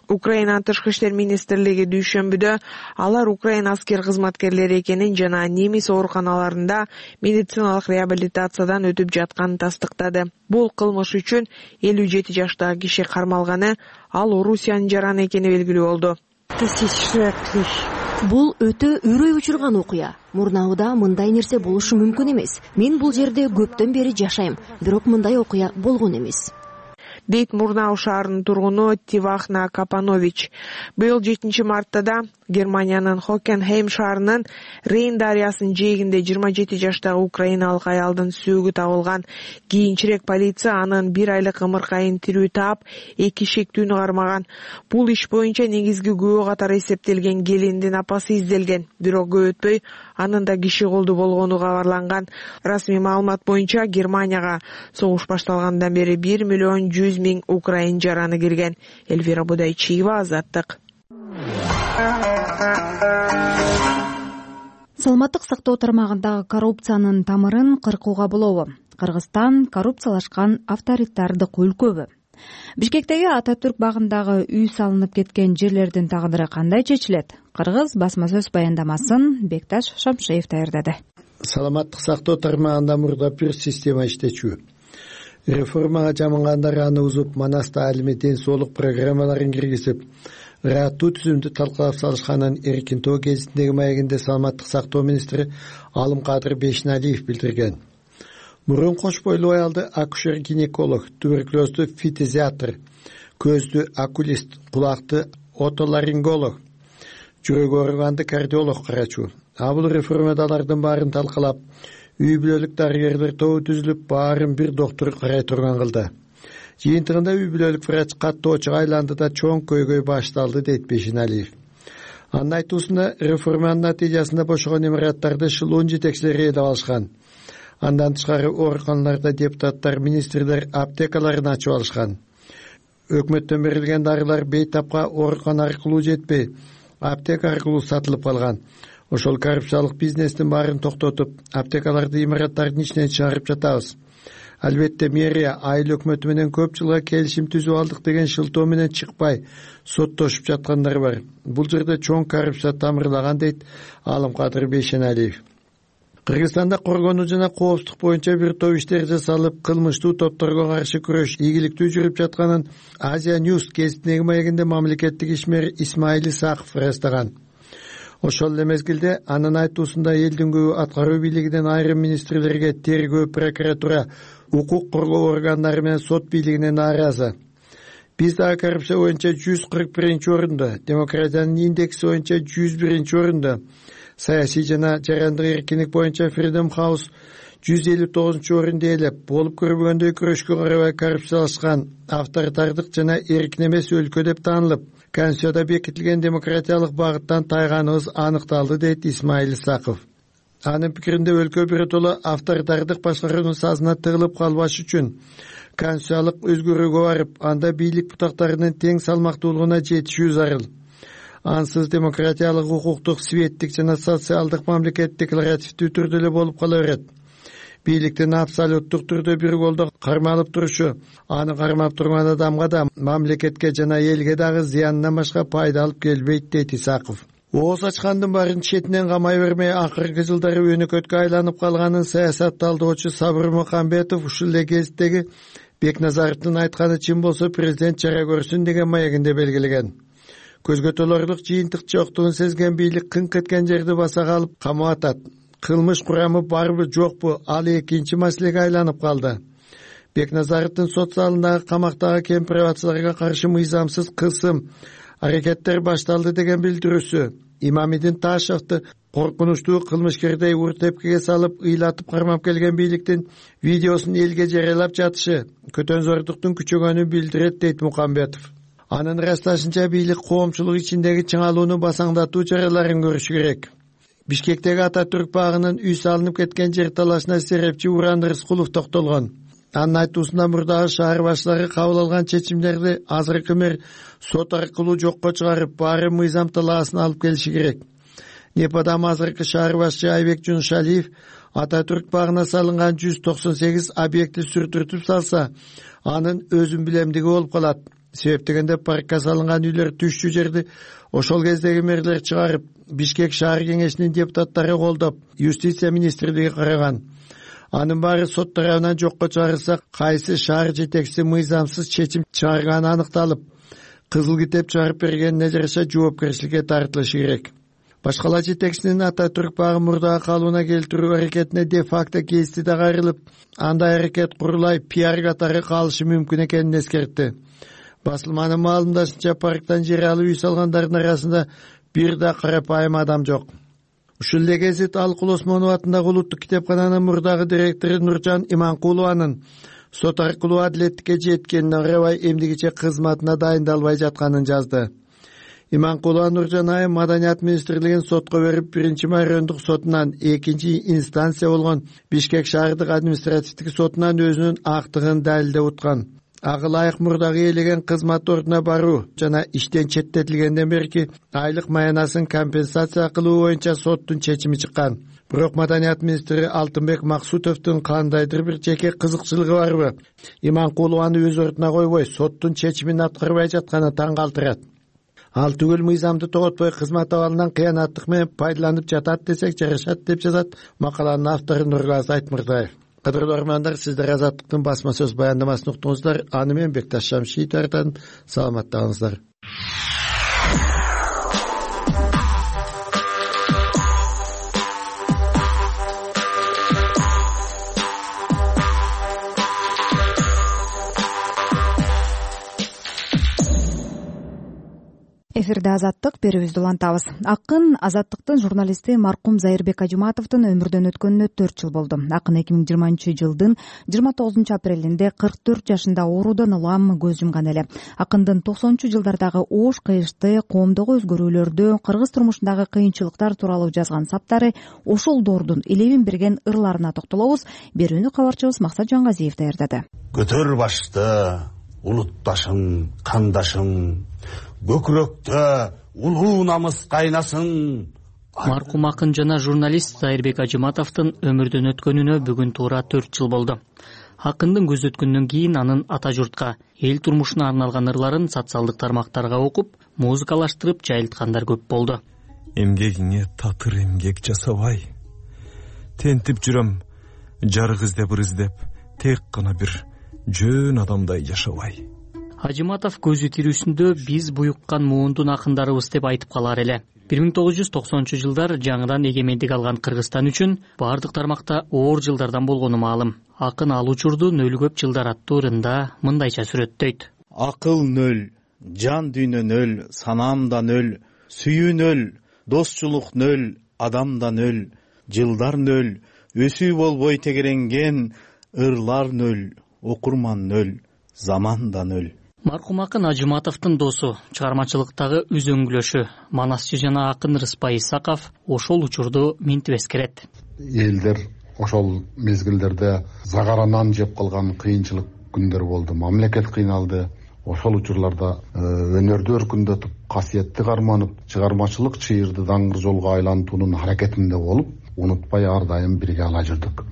Украинанын тышкы иштер министрлиги дүйшөмбүдө алар Украина аскер кызматкерлери экенин жана немис ооруканаларында медициналык реабилитациядан өтүп жатканын тастыктады. Бул кылмыш үчүн элүү жети жаштагы киши кармалганы, ал Орусиянын жараны экени белгилүү болду. Бул өтө үрөй учурган окуя. Мурнауда мындай нерсе болушу мүмкүн эмес. Мен бул жерде көптөн бери жашайм, бирок мындай окуя болгон эмес, дейт Мурнау шаарынын тургуну Тивахна Капанович. Быйыл жетинчи мартта да Германиянын Хокенхейм шаарынын Рейн дарыясынын жээгинде жыйырма жети жаштагы украиналык аялдын сөөгү табылган. Кийинчерээк полиция анын бир айлык ымыркайын тирүү таап, эки шектүүнү кармаган. Бул иш боюнча негизги күбө катары эсептелген келиндин апасы изделген, бирок көп өтпөй анын да киши колду болгону кабарланган. Расмий маалымат боюнча Германияга согуш башталгандан бери бир миллион жүз миң украин жараны кирген. Эльвира Будайчиева, Азаттык. Саламаттык сактоо тармагындагы коррупциянын тамырын кыркууга болобу? Кыргызстан коррупциялашкан авторитардык өлкөбү? Бишкектеги Ататүрк багындагы үй салынып кеткен жерлердин тагдыры кандай чечилет? Кыргыз басма сөз баяндамасын Бекташ Шамшеев даярдады. Саламаттык сактоо тармагында мурда бир система иштечү. Реформага жамангандар аны узуп, Манаста алими ден соолук программаларын киргизип, ыраттуу түзүмдү талкалап салышканын Эркин Тоо гезитиндеги маегинде саламаттык сактоо министри Алымкадыр Бейшеналиев билдирген. Мурун кош бойлуу аялды акушер-гинеколог, туберкулезду фитизиатр, көздү окулист, кулакты отоларинголог, жүрөк ооруганды кардиолог карачу. А бул реформада алардын баарын талкалап, үй бүлөлүк дарыгерлер тобу түзүлүп, баарын бир доктор карай турган кылды. Жыйынтыгында үй бүлөлүк врач каттоочуга айланды да чоң көйгөй башталды, дейт Бейшеналиев. Анын айтуусунда реформанын натыйжасында бошогон имараттарды шылуун жетекчилери ээлеп алышкан. Андан тышкары ооруканаларда депутаттар, министрлер аптекаларын ачып алышкан. Өкмөттөн берилген дарылар бейтапка оорукана аркылуу жетпей, аптека аркылуу сатылып калган. Ошол коррупциялык бизнестин баарын токтотуп, аптекаларды имараттардын ичинен чыгарып жатабыз. Албетте мэрия айыл өкмөтү менен көп жылга келишим түзүп алдык деген шылтоо менен чыкпай соттошуп жаткандар бар. Бул жерде чоң коррупция тамырлаган, дейт Алымкадыр Бейшеналиев. Кыргызстанда коргонуу жана коопсуздук боюнча бир топ иштер жасалып, кылмыштуу топторго каршы күрөш ийгиликтүү жүрүп жатканын Азия Ньюс гезитинеги маегинде мамлекеттик ишмер Исмаил Исаков ырастаган. Ошол эле мезгилде анын айтуусунда элдин көбү аткаруу бийлигинен айрым министрлерге, тергөө, прокуратура, укук коргоо органдары менен сот бийлигине нааразы. Биз дагы коррупция боюнча жүз кырк биринчи орунда, демократиянын индекси боюнча жүз биринчи орунда, саясий жана жарандык эркиндик боюнча Freedom House жүз элүү тогузунчу орунду ээлеп, болуп көрбөгөндөй күрөшкө карабай коррупциялашкан, авторитардык жана эркин эмес өлкө деп таанылып, Конституцияда бекитилген демократиялык багыттан тайганыбыз аныкталды, дейт Исмаил Исаков. Анын пикиринде өлкө биротоло авторитардык башкаруунун сазына тыгылып калбаш үчүн конституциялык өзгөрүүгө барып, анда бийлик бутактарынын тең салмактуулугуна жетишүү зарыл. Ансыз демократиялык, укуктук, светтик жана социалдык мамлекет декларативдүү түрдө эле болуп кала берет. Бийликтин абсолюттук түрдө бир колдо кармалып турушу, аны кармап турган адамга да, мамлекетке жана элге дагы зыянынан башка пайда алып келбейт, дейт Исаков. Ооз ачкандын баарын четинен камай бермей, акыркы жылдары өнөкөткө айланып калганын саясат талдоочу Сабыр Мухамбетов ушул эле кездеги Бекназаровдун айтканы чын болсо президент чара көрсүн деген маегинде белгилеген. Көзгө толорлук жыйынтык жоктугун сезген бийлик кыңк эткен жерди баса калып камап атат. Кылмыш курамы барбы жокпу, ал экинчи маселеге айланып калды. Бекназаровдун сот залындагы камактагы кемпирабацыларга каршы мыйзамсыз кысым аракеттер башталды деген билдирүүсү, Имамидин Ташевди коркунучтуу кылмышкердей ур тепкиге салып, ыйлатып кармап келген бийликтин видеосун элге жарыялап жатышы көтөнзордуктун күчөгөнүн билдирет, дейт Мукамбетов. Анын ырасташынча бийлик коомчулук ичиндеги чыңалууну басаңдатуу чараларын көрүшү керек. Бишкектеги Ататүрк багынын үй салынып кеткен жер талашына серепчи Уран Рыскулов токтолгон. Анын айтуусунда мурдагы шаар башчылары кабыл алган чечимдерди азыркы мэр сот аркылуу жокко чыгарып, баары мыйзам талаасына алып келиши керек. Непадам азыркы шаар башчы Айбек Жуншалиев Ататүрк багына салынган жүз токсон сегиз объекти сүртүртүп салса, анын өзүн билемдиги болуп калат. Себеп дегенде паркка салынган үйлөр түшчү жерди ошол кездеги мэрлер чыгарып, Бишкек шаар кеңешинин депутаттары колдоп, юстиция министрлиги караган. Анын баары сот тарабынан жокко чыгарылса, кайсы шаар жетекчиси мыйзамсыз чечим чыгарганы аныкталып, кызыл китеп чыгарып бергенине жараша жоопкерчиликке тартылышы керек. Башкала жетекчисинин Ататүрк багы мурдагы калыбына келтирүү аракетине де факто кести да кайрылып, андай аракет курулай пиар катары калышы мүмкүн экенин эскертти. Басылманын маалымдашынча, парктан жер алып үй салгандардын арасында бир да карапайым адам жок. Ушул эле гезит Алкул Осмонов атындагы улуттук китепкананын мурдагы директору Нуржан Иманкулованын сот аркылуу адилеттикке жеткенине карабай эмдигиче кызматына дайындалбай жатканын жазды. Иманкулова Нуржан айым Маданият министрлигин сотко берип, биринчи майрөндүк сотунан, экинчи инстанция болгон Бишкек шаардык административдик сотунан өзүнүн актыгын далилдеп уткан. Ага ылайык мурдагы ээлеген кызмат ордуна баруу жана иштен четтетилгенден берки айлык маянасын компенсация кылуу боюнча соттун чечими чыккан. Бирок Маданият министри Алтынбек Максутовдун кандайдыр бир жеке кызыкчылыгы барбы? Иманкулованы өз ордуна койбой, соттун чечимин аткарбай жатканы таң калтырат. Ал түгөл мыйзамды тоготпой кызмат абалынан кыянаттык менен пайдаланып жатат десек жарашат, деп жазат макаланын автору Нурлаз Айтмырзаев. Кадырлуу армандар, сиздер Азаттыктын басма сөз баяндамасын уктуңуздар. Аны мен Бекташ Шамшиев тартан. Саламаттаңыздар. Эфирде Азаттык, берүүбүздү улантабыз. Акын Азаттыктын журналисти маркум Зайырбек Ажыматовдун өмүрдөн өткөнүнө төрт жыл болду. Акын эки миң жыйырманчы жылдын жыйырма тогузунчу апрелинде кырк төрт жашында оорудан улам көз жумган эле. Акындын токсонунчу жылдардагы оош кыйышты, коомдогу өзгөрүүлөрдү, кыргыз турмушундагы кыйынчылыктар тууралуу жазган саптары, ошол доордун элебин берген ырларына токтолобуз. Берүүнү кабарчыбыз Максат Жангазиев даярдады. Көтөр башты, улутташым, кандашым, көкүрөктө улуу намыс кайнасын. Маркум акын жана журналист Зайырбек Ажыматовдун өмүрдөн өткөнүнө бүгүн туура төрт жыл болду. Акындын көз өткөндөн кийин анын ата журтка, эл турмушуна арналган ырларын социалдык тармактарга окуп, музыкалаштырып жайылткандар көп болду. Эмгегиңе татыр эмгек жасабай, тентип жүрөм жарык издеп ыр издеп, тек гана бир жөн адамдай жашабай. Ажыматов көзү тирүүсүндө биз буюккан муундун акындарыбыз деп айтып калар эле. бир миң тогуз жүз токсонунчу жылдар жаңыдан эгемендик алган Кыргызстан үчүн бардык тармакта оор жылдардан болгону маалым. Акын ал учурду нөл көп жылдар аттуу ырында мындайча сүрөттөйт. Акыл нөл, жан дүйнө нөл, санам да нөл, сүйүү нөл, досчулук нөл, адам да нөл, жылдар нөл, өсүү болбой тегеренген, ырлар нөл, окурман нөл, заман да нөл. Маркум акын Ажыматовдун досу, чыгармачылыктагы үзөңгүлөшү, манасчы жана акын Рыспай Исаков ошол учурду минтип эскерет. Элдер ошол мезгилдерде загаранан жеп калган кыйынчылык күндөр болду. Мамлекет кыйналды. Ошол учурларда өнөрдү өркүндөтүп, касиетти карманып, чыгармачылык чыйырды даңгыр жолго айлантуунун аракетинде болуп, унутпай ар дайым бирге ала жүрдүк.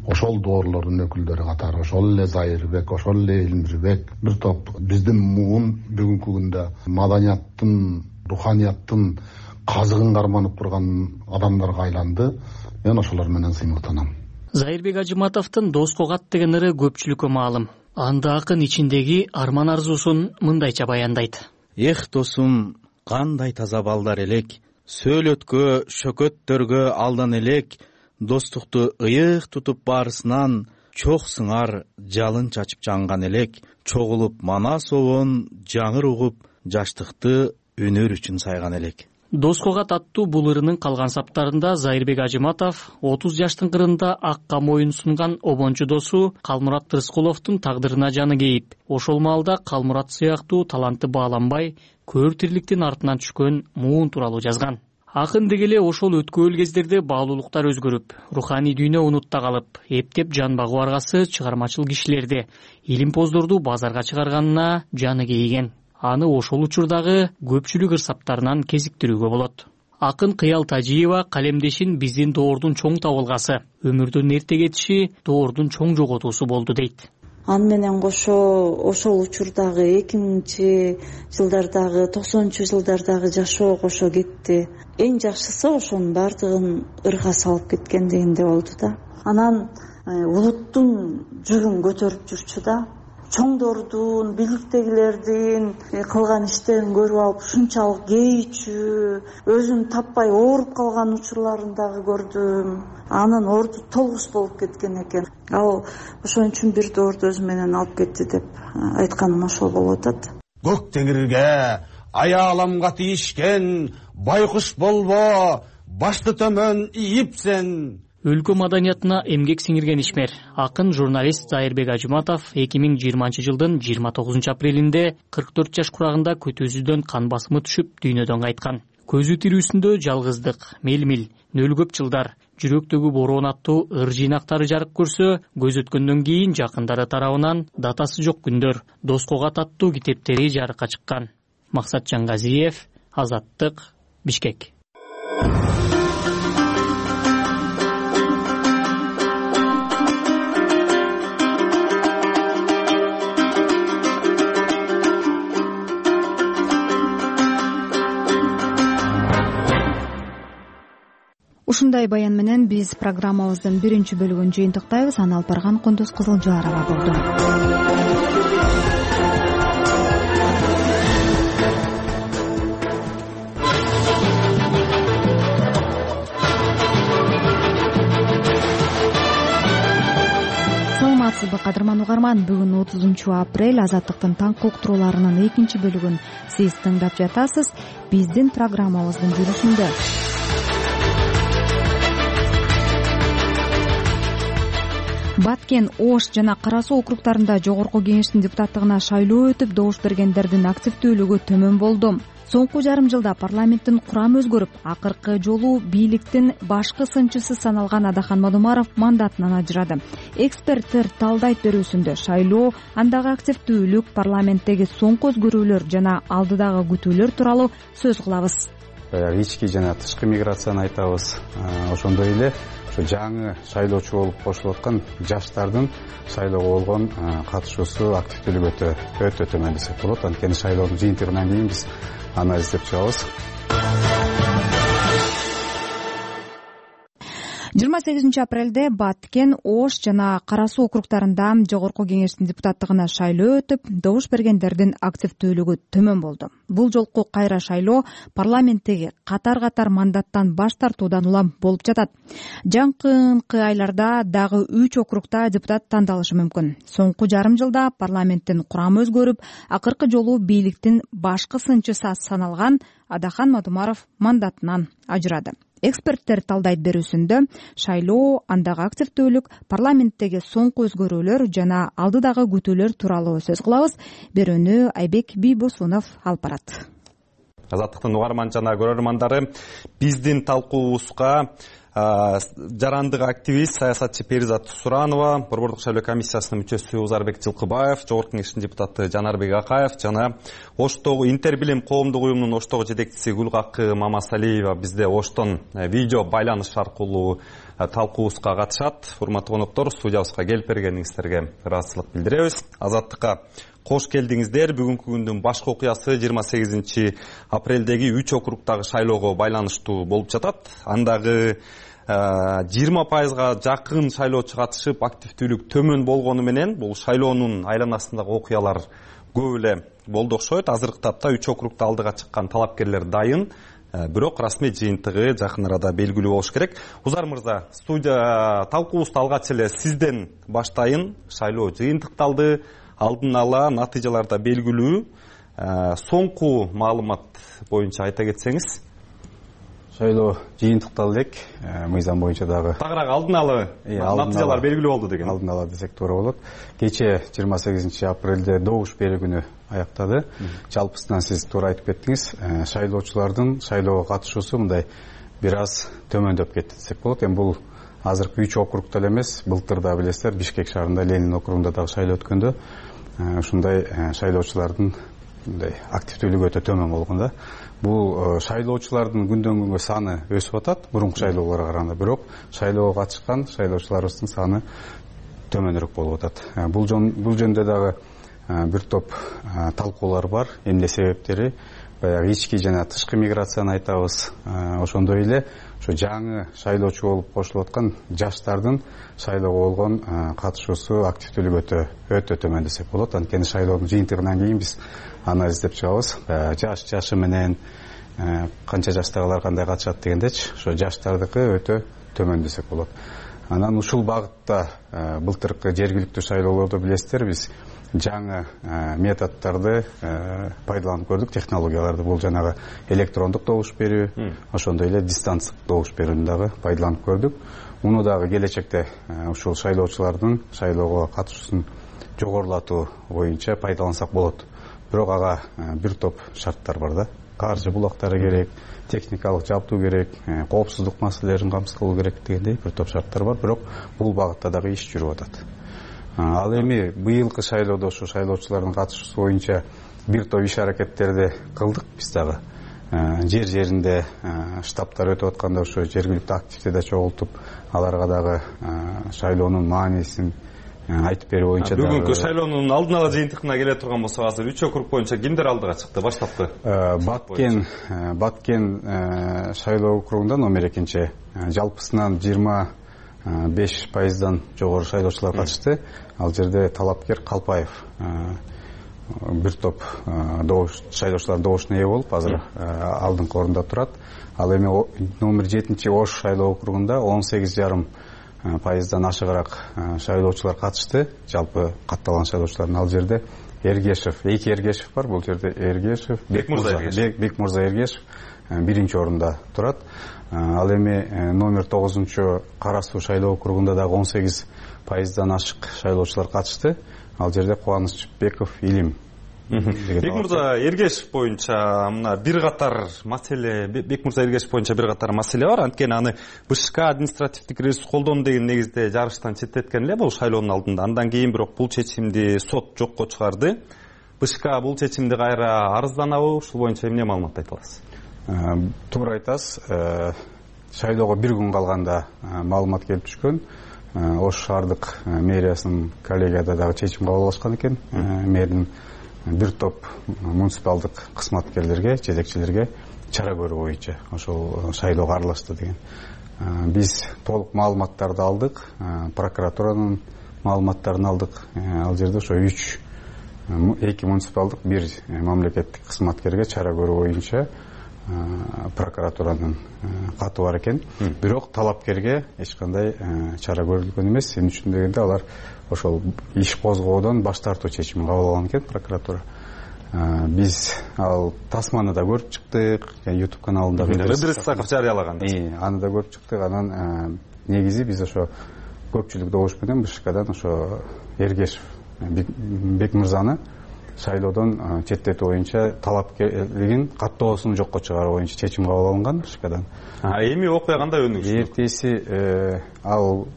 Ошол доорлордун өкүлдөрү катары ошол эле Зайырбек, ошол эле Элмирбек, бир топ биздин муун бүгүнкү күндө маданияттын, руханияттын казыгын карманып турган адамдарга айланды. Мен ошолор менен сыймыктанам. Зайырбек Ажыматовдун Дос Когат деген ыры көпчүлүккө маалым. Анда акын ичиндеги арман арзуусун мындайча баяндайт. Эх досум, кандай таза балдар элек, сөөлөткө, шөкөттөргө алдан элек, достукту ыйык тутуп баарысынан, чок сыңар жалын чачып жанган элек, чогулуп мана собон жаңыр угуп, жаштыкты өнөр үчүн сайган элек. Дос Когат аттуу бул ырынын калган саптарында Зайырбек Ажыматов отуз жаштын кырында акка моюн сунган обончу досу Калмурат Рыскуловдун тагдырына жаны кейип, ошол маалда Калмурат сыяктуу таланты бааланбай, көр тирликтин артынан түшкөн муун тууралуу жазган. Акын дегеле ошол өткөөл кездерде баалуулуктар өзгөрүп, руханий дүйнө унутта калып, эптеп жан багуу аргасы чыгармачыл кишилерди, илимпоздорду базарга чыгарганына жаны кейиген. Аны ошол учурдагы көпчүлүк ырсаптарынан кезиктирүүгө болот. Акын Кыял Тажиева калемдешин биздин доордун чоң табылгасы, өмүрдүн эрте кетиши доордун чоң жоготуусу болду дейт. Аны менен кошо ошол учурдагы эки миңинчи жылдардагы, токсонунчу жылдардагы жашоо кошо кетти. Эң жакшысы ошонун баардыгын ырга салып кеткен дегенде болду да. Анан улуттун жүгүн көтөрүп жүрчү да. Чоңдордун, бийликтегилердин кылган иштерин көрүп алып ушунчалык кейичүү, өзүн таппай ооруп калган учурларын дагы көрдүм. Анын орду толгус болуп кеткен экен. Ал ошон үчүн бир доорду өзү менен алып кетти деп айтканым ошол болуп атат. Көк теңирге аяламга тийишкен байкуш болбо, башты төмөн ийипсен. Өлкө маданиятына эмгек сиңирген ишмер, акын журналист Зайырбек Ажыматов эки миң жыйырманчы жылдын жыйырма тогузунчу апрелинде кырк төрт жаш курагында көтөсүздөн кан басымы түшүп дүйнөдөн кайткан. Көзү тирүүсүндө жалгыздык, мел-мил, нөл көп жылдар, жүрөктөгү бороон аттуу ыр жыйнактары жарык көрсө, көз өткөндөн кийин жакындары тарабынан датасы жок күндөр, Дос Когат аттуу китептери жарыкка чыккан. Максат Жангазиев, Азаттык, Бишкек. Ушундай баян менен биз программабыздын биринчи бөлүгүн жыйынтыктайбыз. Аны алып барган Кундуз Кызылжарова болду. Саламатсызбы, кадырман угарман? Бүгүн отузунчу апрель, Азаттыктын таңкы уктурууларынын экинчи бөлүгүн сиз тыңдап жатасыз. Биздин программабыздын жүрүшүндө Баткен, Ош жана Кара Суу округдарында жогорку кеңештин депутаттыгына шайлоо өтүп, добуш бергендердин активдүүлүгү төмөн болду. Соңку жарым жылда парламенттин курамы өзгөрүп, акыркы жолу бийликтин башкы сынчысы саналган Адахан Мадумаров мандатынан ажырады. Эксперттер талдайт берүүсүндө шайлоо, андагы активдүүлүк, парламенттеги соңку өзгөрүүлөр жана алдыдагы күтүүлөр тууралуу сөз кылабыз. Ички жана тышкы миграцияны айтабыз. Ошондой эле жаңы шайлоочу болуп кошулуп аткан жаштардын шайлоого болгон катышуусу, активдүүлүгү өтө өтө төмөн десек болот. Анткени шайлоонун жыйынтыгынан кийин биз анализдеп чыгабыз. жыйырма сегизинчи апрелде Баткен, Ош жана Кара Суу округдарында жогорку кеңештин депутаттыгына шайлоо өтүп, добуш бергендердин активдүүлүгү төмөн болду. Бул жолку кайра шайлоо парламенттеги катар-катар мандаттан баш тартуудан улам болуп жатат. Жакынкы айларда дагы үч округда депутат тандалышы мүмкүн. Соңку жарым жылда парламенттин курамы өзгөрүп, акыркы жолу бийликтин башкы сынчысы саналган Адахан Мадумаров мандатынан ажырады. Эксперттер талдайт берүүсүндө шайлоо, андагы активдүүлүк, парламенттеги соңку өзгөрүүлөр жана алдыдагы күтүүлөр тууралуу сөз кылабыз. Берүүнү Айбек Бийбосунов алып барат. Азаттыктын угарман жана көрөрмандары, биздин талкуубузга жарандык активист, саясатчы Перизат Суранова, Борбордук шайлоо комиссиясынын мүчөсү Узарбек Жылкыбаев, жогорку кеңештин депутаты Жанарбек Акаев жана Оштогу Интербилим коомдук уюмунун Оштогу жетекчиси Гүлгакы Мамасалиева бизде Оштон видео байланыш аркылуу талкуубузга катышат. Урматтуу коноктор, студиябызга келип бергениңиздерге ыраазычылык билдиребиз. Азаттыкка кош келдиңиздер. Бүгүнкү күндүн башкы окуясы жыйырма сегизинчи апрелдеги үч округдагы шайлоого байланыштуу болуп жатат. Андагы жыйырма пайызга жакын шайлоочу катышып, активдүүлүк төмөн болгону менен бул шайлоонун айланасындагы окуялар көп эле болду окшойт. Азыркы тапта үч округда алдыга чыккан талапкерлер дайын, бирок расмий жыйынтыгы жакын арада белгилүү болуш керек. Узар мырза, студия талкуубузду алгач эле сизден баштайын. Шайлоо жыйынтыкталды, алдын ала натыйжаларда белгилүү. Соңку маалымат боюнча айта кетсеңиз. Шайлоо жыйынтыкталды элек, мыйзам боюнча дагы. Тагыраак алдын ала натыйжалар белгилүү болду деген. Алдын ала десек туура болот. Кечээ жыйырма сегизинчи апрелде добуш берүү күнү аяктады. Жалпысынан сиз туура айтып кеттиңиз. Шайлоочулардын шайлоого катышуусу мындай бир аз төмөндөп кетти десек болот. Эми бул азыркы үч округда эле эмес, былтыр да билесиздер, Бишкек шаарында Ленин округунда дагы шайлоо өткөндө ушундай шайлоочулардын мындай активдүүлүгү өтө төмөн болгон да. Бул шайлоочулардын күндөн күнгө саны өсүп атат, мурунку шайлоолорго караганда, бирок шайлоого катышкан шайлоочуларыбыздын саны төмөнүрөөк болуп атат. Бул бул жөнүндө дагы бир топ талкуулар бар. Эмне себептери? Баягы ички жана тышкы миграцияны айтабыз. Ошондой эле ошо жаңы шайлоочу болуп кошулуп аткан жаштардын шайлоого болгон катышуусу, активдүүлүгү өтө өтө төмөн десек болот. Анткени шайлоонун жыйынтыгынан кийин биз анализдеп чыгабыз. Жаш жашы менен канча жаштагылар кандай катышат дегендечи, ошо жаштардыкы өтө төмөн десек болот. Анан ушул багытта былтыркы жергиликтүү шайлоолордо билесиздер, биз жаңы методдорду пайдаланып көрдүк, технологияларды. Бул жанагы электрондук добуш берүү, ошондой эле дистанциялык добуш берүүнү дагы пайдаланып көрдүк. Муну дагы келечекте ушул шайлоочулардын шайлоого катышуусун жогорулатуу боюнча пайдалансак болот. Бирок ага бир топ шарттар бар да. Каржы булактары керек, техникалык жабдуу керек, коопсуздук маселелерин камсыз кылуу керек дегендей бир топ шарттар бар. Бирок бул багытта дагы иш жүрүп атат. Ал эми быйылкы шайлоодо ушу шайлоочулардын катышуусу боюнча бир топ иш аракеттерди кылдык биз дагы. Жер жеринде штабтар өтүп атканда ушу жергиликтүү активде чогултуп, аларга дагы шайлоонун маанисин айтып берүү боюнча дагы. Бүгүнкү шайлоонун алдын ала жыйынтыгына келе турган болсок, азыр үч округ боюнча кимдер алдыга чыкты баштапкы? Баткен Баткен шайлоо округунда номер экинчи, жалпысынан жыйырма беш пайыздан жогору шайлоочулар катышты. Ал жерде талапкер Калпаев бир топ добуш шайлоочулар добушуна ээ болуп, азыр алдыңкы орунда турат. Ал эми номер жетинчи Ош шайлоо округунда он сегиз жарым пайыздан ашыгыраак шайлоочулар катышты. Жалпы катталган шайлоочулардын ал жерде Эргешев, эки Эргешев бар. Бул жерде Эргешев, Бекмурза Эргешев биринчи орунда турат. Ал эми номер тогузунчу Кара Суу шайлоо округунда дагы он сегиз пайыздан ашык шайлоочулар катышты. Ал жерде Кубанычбеков Илим. Бекмурза Эргешев боюнча мына бир катар маселе, Бекмурза Эргешев боюнча бир катар маселе бар. Анткени аны БШК административдик ресурс колдону деген негизде жарыштан четтеткен эле бул шайлоонун алдында. Андан кийин бирок бул чечимди сот жокко чыгарды. БШК бул чечимди кайра арызданабы? Ушул боюнча эмне маалымат айта аласыз? Туура айтасыз. Шайлоого бир күн калганда маалымат келип түшкөн. Ош шаардык мэриясынын коллегияда дагы чечим кабыл алышкан экен. Мэрдин бир топ муниципалдык кызматкерлерге, жетекчилерге чара көрүү боюнча ошол шайлоого аралашты деген биз толук маалыматтарды алдык, прокуратуранын маалыматтарын алдык. Ал жерде ошо үч эки муниципалдык, бир мамлекеттик кызматкерге чара көрүү боюнча прокуратуранын каты бар экен. Бирок талапкерге эч кандай чара көрүлгөн эмес. Эмне үчүн дегенде алар ошол иш козгоодон баш тартуу чечимин кабыл алган экен прокуратура. Биз ал тасманы да көрүп чыктык, YouTube каналында Ыдырыс Исаков жарыялаган. Аны да көрүп чыктык. Анан негизи биз ошо көпчүлүк добуш менен БШКдан ошо Эргешев Бекмырзаны шайлоодон четтетүү боюнча талапкерлигин каттоосун жокко чыгаруу боюнча чечим кабыл алынган БШКдан. Эми окуя кандай өнүгүштү? Эртеси ал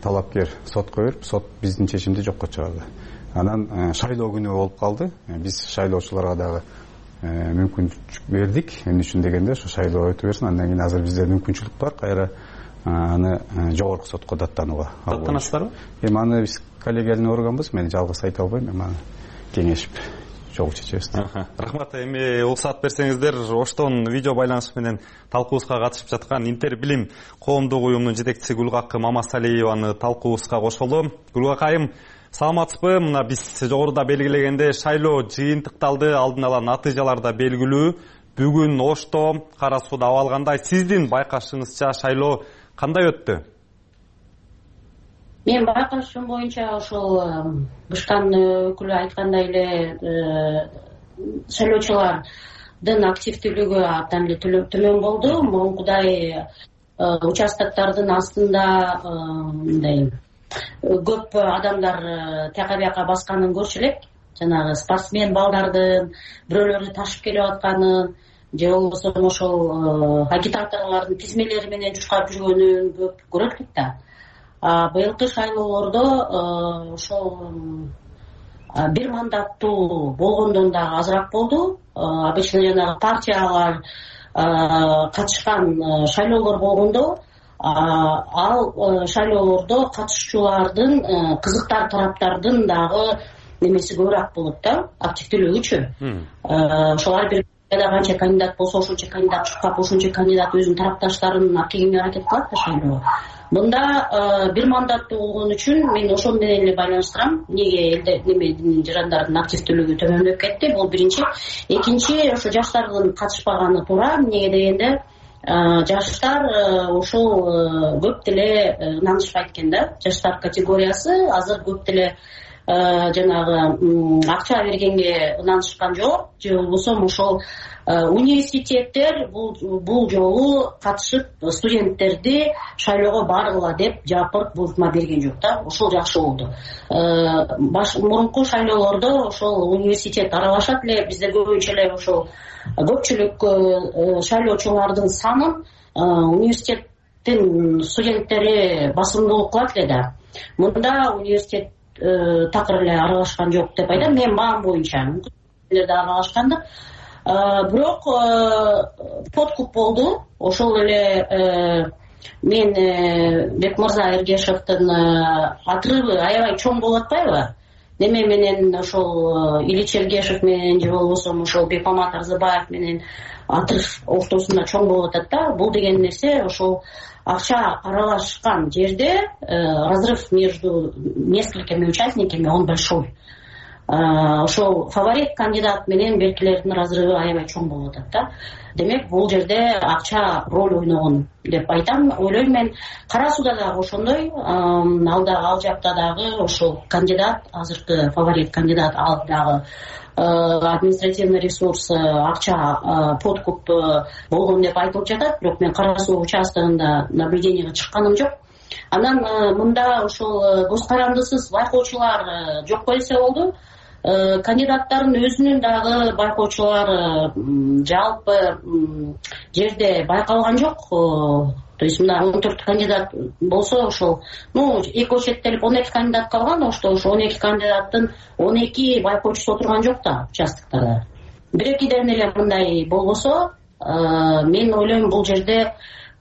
талапкер сотко берип, сот биздин чечимди жокко чыгарды. Анан шайлоо күнү болуп калды. Биз шайлоочуларга дагы мүмкүнчүлүк бердик. Эмне үчүн дегенде ошо шайлоо өтө берсин. Андан кийин азыр бизде мүмкүнчүлүк бар кайра аны жогорку сотко даттанууга. Даттанасыздарбы? Эми аны биз коллегиальный органбыз. Мен жалгыз айта албайм. Эми аны кеңешип чогуу чечебиз. Рахмат. Эми уруксат берсеңиздер, Оштон видео байланыш менен талкуубузга катышып жаткан Интер билим коомдук уюмунун жетекчиси Гүлгакы Мамасалиеваны талкуубузга кошолу. Гүлгакайым, саламатсызбы? Мына биз жогоруда белгилегенде шайлоо жыйынтыкталды, алдын ала натыйжалар да белгилүү. Бүгүн Ошто Кара Сууда абал кандай? Сиздин байкашыңызча шайлоо кандай өттү? Мен байкашым боюнча ошол БШКнын өкүлү айткандай эле шайлоочулардын активдүүлүгү абдан эле төмөн болду. Мурункудай участоктордун астында мындай көп адамдар тияка бияка басканын көрчү элек. Жанагы спортсмен балдардын бирөөлөрдү ташып келип атканын же болбосо ошол агитаторлордун тизмелери менен чуркап жүргөнүн көп көрөт элек да. Быйылкы шайлоолордо ошол бир мандаттуу болгондон дагы азыраак болду. Обычно жанагы партиялар катышкан шайлоолор болгондо ал шайлоолордо катышуучулардын кызыктар тараптардын дагы немеси көбүрөөк болот да, активдүүлүгүчү. Ошол ар бир канча кандидат болсо ошончо кандидат чуркап, ошончо кандидат өзүнүн тарапташтарын акегине аракет кылат да шайлоо. Мында бир мандаттуу болгон үчүн мен ошол менен эле байланыштырам. Эмнеге элде немедин жарандардын активдүүлүгү төмөндөп кетти? Бул биринчи. Экинчи, ошо жаштардын катышпаганы туура. Эмнеге дегенде жаштар ошол көп деле ынанышпайт экен да. Жаштар категориясы азыр көп деле жанагы акча бергенге ынанышкан жок, же болбосо ошол университеттер бул жолу катышып студенттерди шайлоого баргыла деп жапырт буйртма берген жок да. Ошол жакшы болду. Мурунку шайлоолордо ошол университет аралашат эле. Бизде көбүнчө эле ошол көпчүлүк шайлоочулардын санын университеттин студенттери басымдуулук кылат эле да. Мында университет такыр эле аралашкан жок деп айтам. Мен маам боюнча мүмкүн да аралашкандыр. Бирок подкуп болду. Ошол эле мен Бекмырза Эргешевдин отрывы аябай чоң болуп атпайбы? Неме менен ошол Ильич Эргешев менен же болбосо ошол Бекмамат Арзыбаев менен отрыв ортосунда чоң болуп атат да. Бул деген нерсе ошол акча аралашкан жерде разрыв между несколькими участниками он большой. Ошол фаворит кандидат менен беркилердин разрывы аябай чоң болуп атат да. Демек бул жерде акча роль ойногон деп айтам. Ойлойм мен. Кара Сууда дагы ошондой. Ал да ал жакта дагы ошол кандидат, азыркы фаворит кандидат, ал дагы административный ресурс, акча, подкуп болгон деп айтылып жатат. Бирок мен Кара Суу участогунда наблюдениеге чыкканым жок. Анан мында ошол көз карандысыз байкоочулар жок болсо болду. Кандидаттардын өзүнүн дагы байкоочулар жалпы жерде байкалган жок. То есть мына он төрт кандидат болсо ошол, ну, эки очеттелип он эки кандидат калган, ошто ошо он эки кандидаттын он эки байкоочусу отурган жок да участоктарда. Бир-экиден эле мындай болбосо, мен ойлойм бул жерде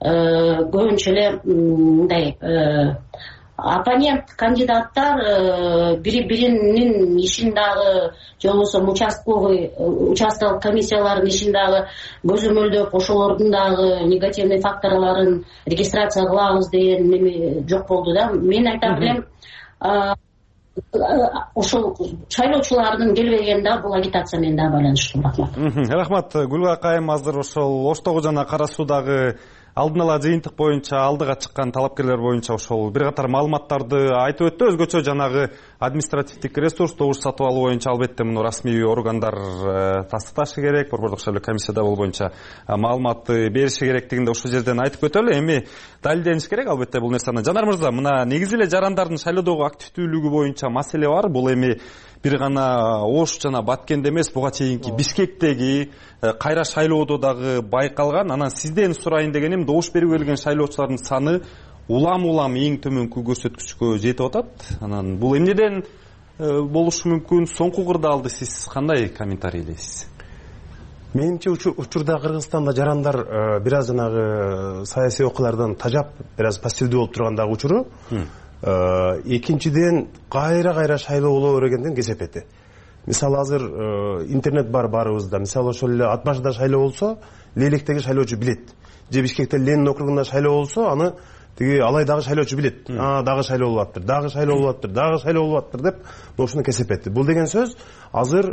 көбүнчө эле мындай оппонент кандидаттар бири биринин ишин дагы же болбосо участковый участковый комиссиялардын ишин дагы көзөмөлдөп ошолордун дагы негативный факторлорун регистрация кылабыз деген неме жок болду да. Мен айтам элем ошол шайлоочулардын келбегени дагы бул агитация менен дагы байланыштуу. Рахмат. Рахмат. Гүлгара Кайым азыр ошол Оштогу жана Кара Суудагы алдын ала жыйынтык боюнча алдыга чыккан талапкерлер боюнча ошол бир катар маалыматтарды айтып өттү. Өзгөчө жанагы административдик ресурс добуш сатып алуу боюнча албетте муну расмий органдар тастыкташы керек, борбордук шайлоо комиссияда бул боюнча маалыматты бериши керектигинде ошол жерден айтып өтөлү. Эми далилдениш керек албетте бул нерсени. Жанар мырза, мына негизи эле жарандардын шайлоодогу активдүүлүгү боюнча маселе бар. Бул эми бир гана Ош жана Баткенде эмес, буга чейинки Бишкектеги кайра шайлоодо дагы байкалган. Анан сизден сурайын дегеним, добуш берүүгө келген шайлоочулардын саны улам-улам эң төмөнкү көрсөткүчкө жетип атат. Анан бул эмнеден болушу мүмкүн? Соңку кырдаалды сиз кандай комментарийлейсиз? Менимче учурда Кыргызстанда жарандар бир аз жанагы саясий окуялардан тажап, бир аз пассивдүү болуп тургандагы учуру. Экинчиден кайра-кайра шайлоо боло бергенден кесепети. Мисалы азыр интернет бар баарыбызда. Мисалы ошол эле Ат башыда шайлоо болсо, Лейлектеги шайлоочу билет. Же Бишкекте Ленин округунда шайлоо болсо, аны тиги алай дагы шайлоочу билет. А, дагы шайлоо болуп атыптыр, дагы шайлоо болуп атыптыр, дагы шайлоо болуп атыптыр деп ошону кесепети. Бул деген сөз азыр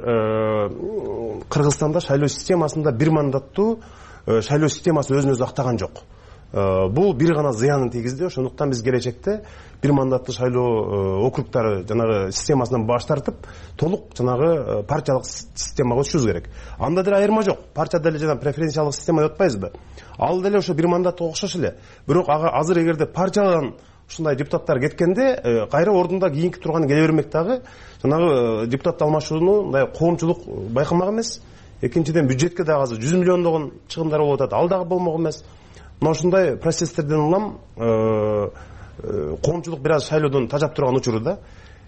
Кыргызстанда шайлоо системасында бир мандаттуу шайлоо системасы өзүн өзү актаган жок. Бул бир гана зыянын тийгизди. Ошондуктан биз келечекте бир мандаттуу шайлоо округдары жанагы системасынан баш тартып, толук жанагы партиялык системага өтүшүбүз керек. Анда деле айырма жок. Партия деле жана преференциялык система деп атпайбызбы? Ал деле ошо бир мандаттуу окшош эле. Бирок азыр эгерде партиядан ушундай депутаттар кеткенде, кайра ордунда кийинки турганы келе бермек дагы жанагы депутат алмашууну мындай коомчулук байкамак эмес. Экинчиден бюджетке дагы азыр жүз миллиондогон чыгымдар болуп атат. Ал дагы болмок эмес. Мына ушундай процесстерден улам коомчулук бир аз шайлоодон тажап турган учуру да.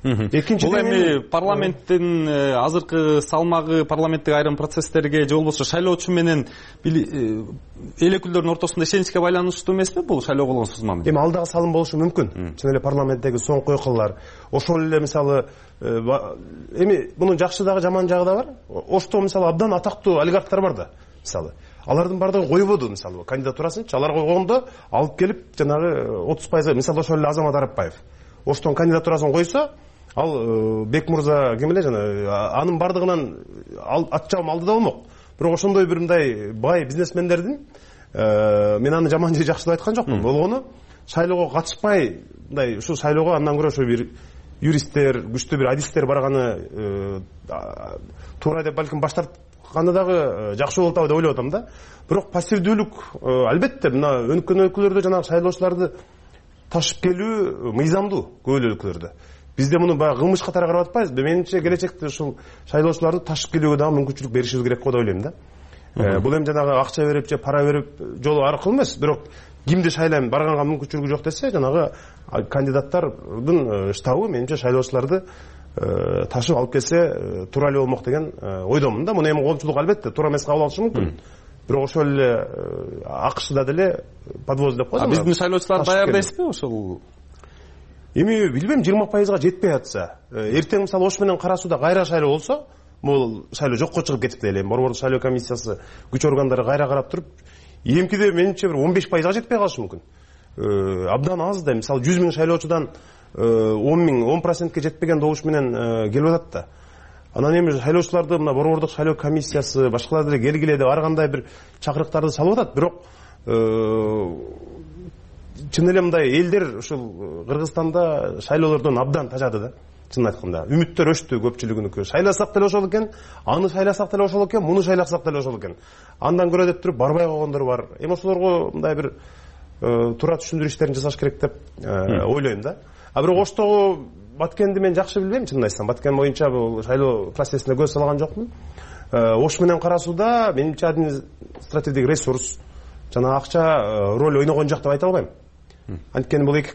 Экинчиден бул эми парламенттин азыркы салмагы, парламенттик айрым процесстерге же болбосо шайлоочу менен эл өкүлдөрүнүн ортосунда ишеничке байланыштуу эмеспи бул шайлоо болгон сузма? Эми ал дагы салым болушу мүмкүн. Чын эле парламенттеги соңку окуялар, ошол эле мисалы эми мунун жакшы дагы жаман жагы да бар. Ошто мисалы абдан атактуу олигархтар бар да. Мисалы алардын бардыгын койбоду, мисалы кандидатурасынчы алар койгондо алып келип жанагы отуз пайыз, мисалы ошол эле Азамат Арапбаев Оштон кандидатурасын койсо, ал Бек мырза ким эле жана анын бардыгынан ат жабым алды да болмок. Бирок ошондой бир мындай бай бизнесмендердин, мен аны жаман же жакшы деп айткан жокмун, болгону шайлоого катышпай, мындай ушул шайлоого андан көрө ошо бир юристтер, күчтүү бир адистер барганы туура деп балким баш тартканы дагы жакшы болуп атабы деп ойлоп атам да. Бирок пассивдүүлүк албетте мына өнүккөн өлкөлөрдө жанагы шайлоочуларды ташып келүү мыйзамдуу көп эле өлкөлөрдө. Бизде муну баягы кылмыш катары карап атпайбызбы? Менимче келечекте ушул шайлоочуларды ташып келүүгө дагы мүмкүнчүлүк беришибиз керек го деп ойлойм да. Бул эми жанагы акча берип же пара берип жолу аркылуу эмес, бирок кимди шайлайм, барганга мүмкүнчүлүгү жок десе, жанагы кандидаттардын штабы менимче шайлоочуларды ташып алып келсе туура эле болмок деген ойдомун да. Муну эми коомчулук албетте туура эмес кабыл алышы мүмкүн. Бирок ошол эле АКШда деле подвоз деп коет. А биздин шайлоочулар даяр дейсизби ошол? Эми билбейм, жыйырма пайызга жетпей атса, эртең мисалы Ош менен Кара Сууда кайра шайлоо болсо, бул шайлоо жокко чыгып кетип эле. Борбордук шайлоо комиссиясы күч органдары кайра карап туруп, эмкиде менимче бир он беш пайызга жетпей калышы мүмкүн. Абдан аз да, мисалы жүз миң шайлоочудан он миң, он процентке жетпеген добуш менен келип атат да. Анан эми шайлоочуларды мына борбордук шайлоо комиссиясы, башкалар деле келгиле деп ар кандай бир чакырыктарды салып атат, бирок чын эле мындай элдер ушул Кыргызстанда шайлоолордон абдан тажады да. Чын айтканда, үмүттөр өчтү көпчүлүгүнүкү. Шайласак деле ошол экен, аны шайласак деле ошол экен, муну шайласак деле ошол экен. Андан көрө деп туруп барбай койгондор бар. Эми ошолорго мындай бир туура түшүндүрүү иштерин жасаш керек деп ойлойм да. А бирок Оштогу Баткенди мен жакшы билбейм, чынын айтсам. Баткен боюнча бул шайлоо процессине көз салган жокмун. Ош менен Кара Сууда менимче административдик ресурс жана акча роль ойногон жак деп айта албайм. Анткени бул эки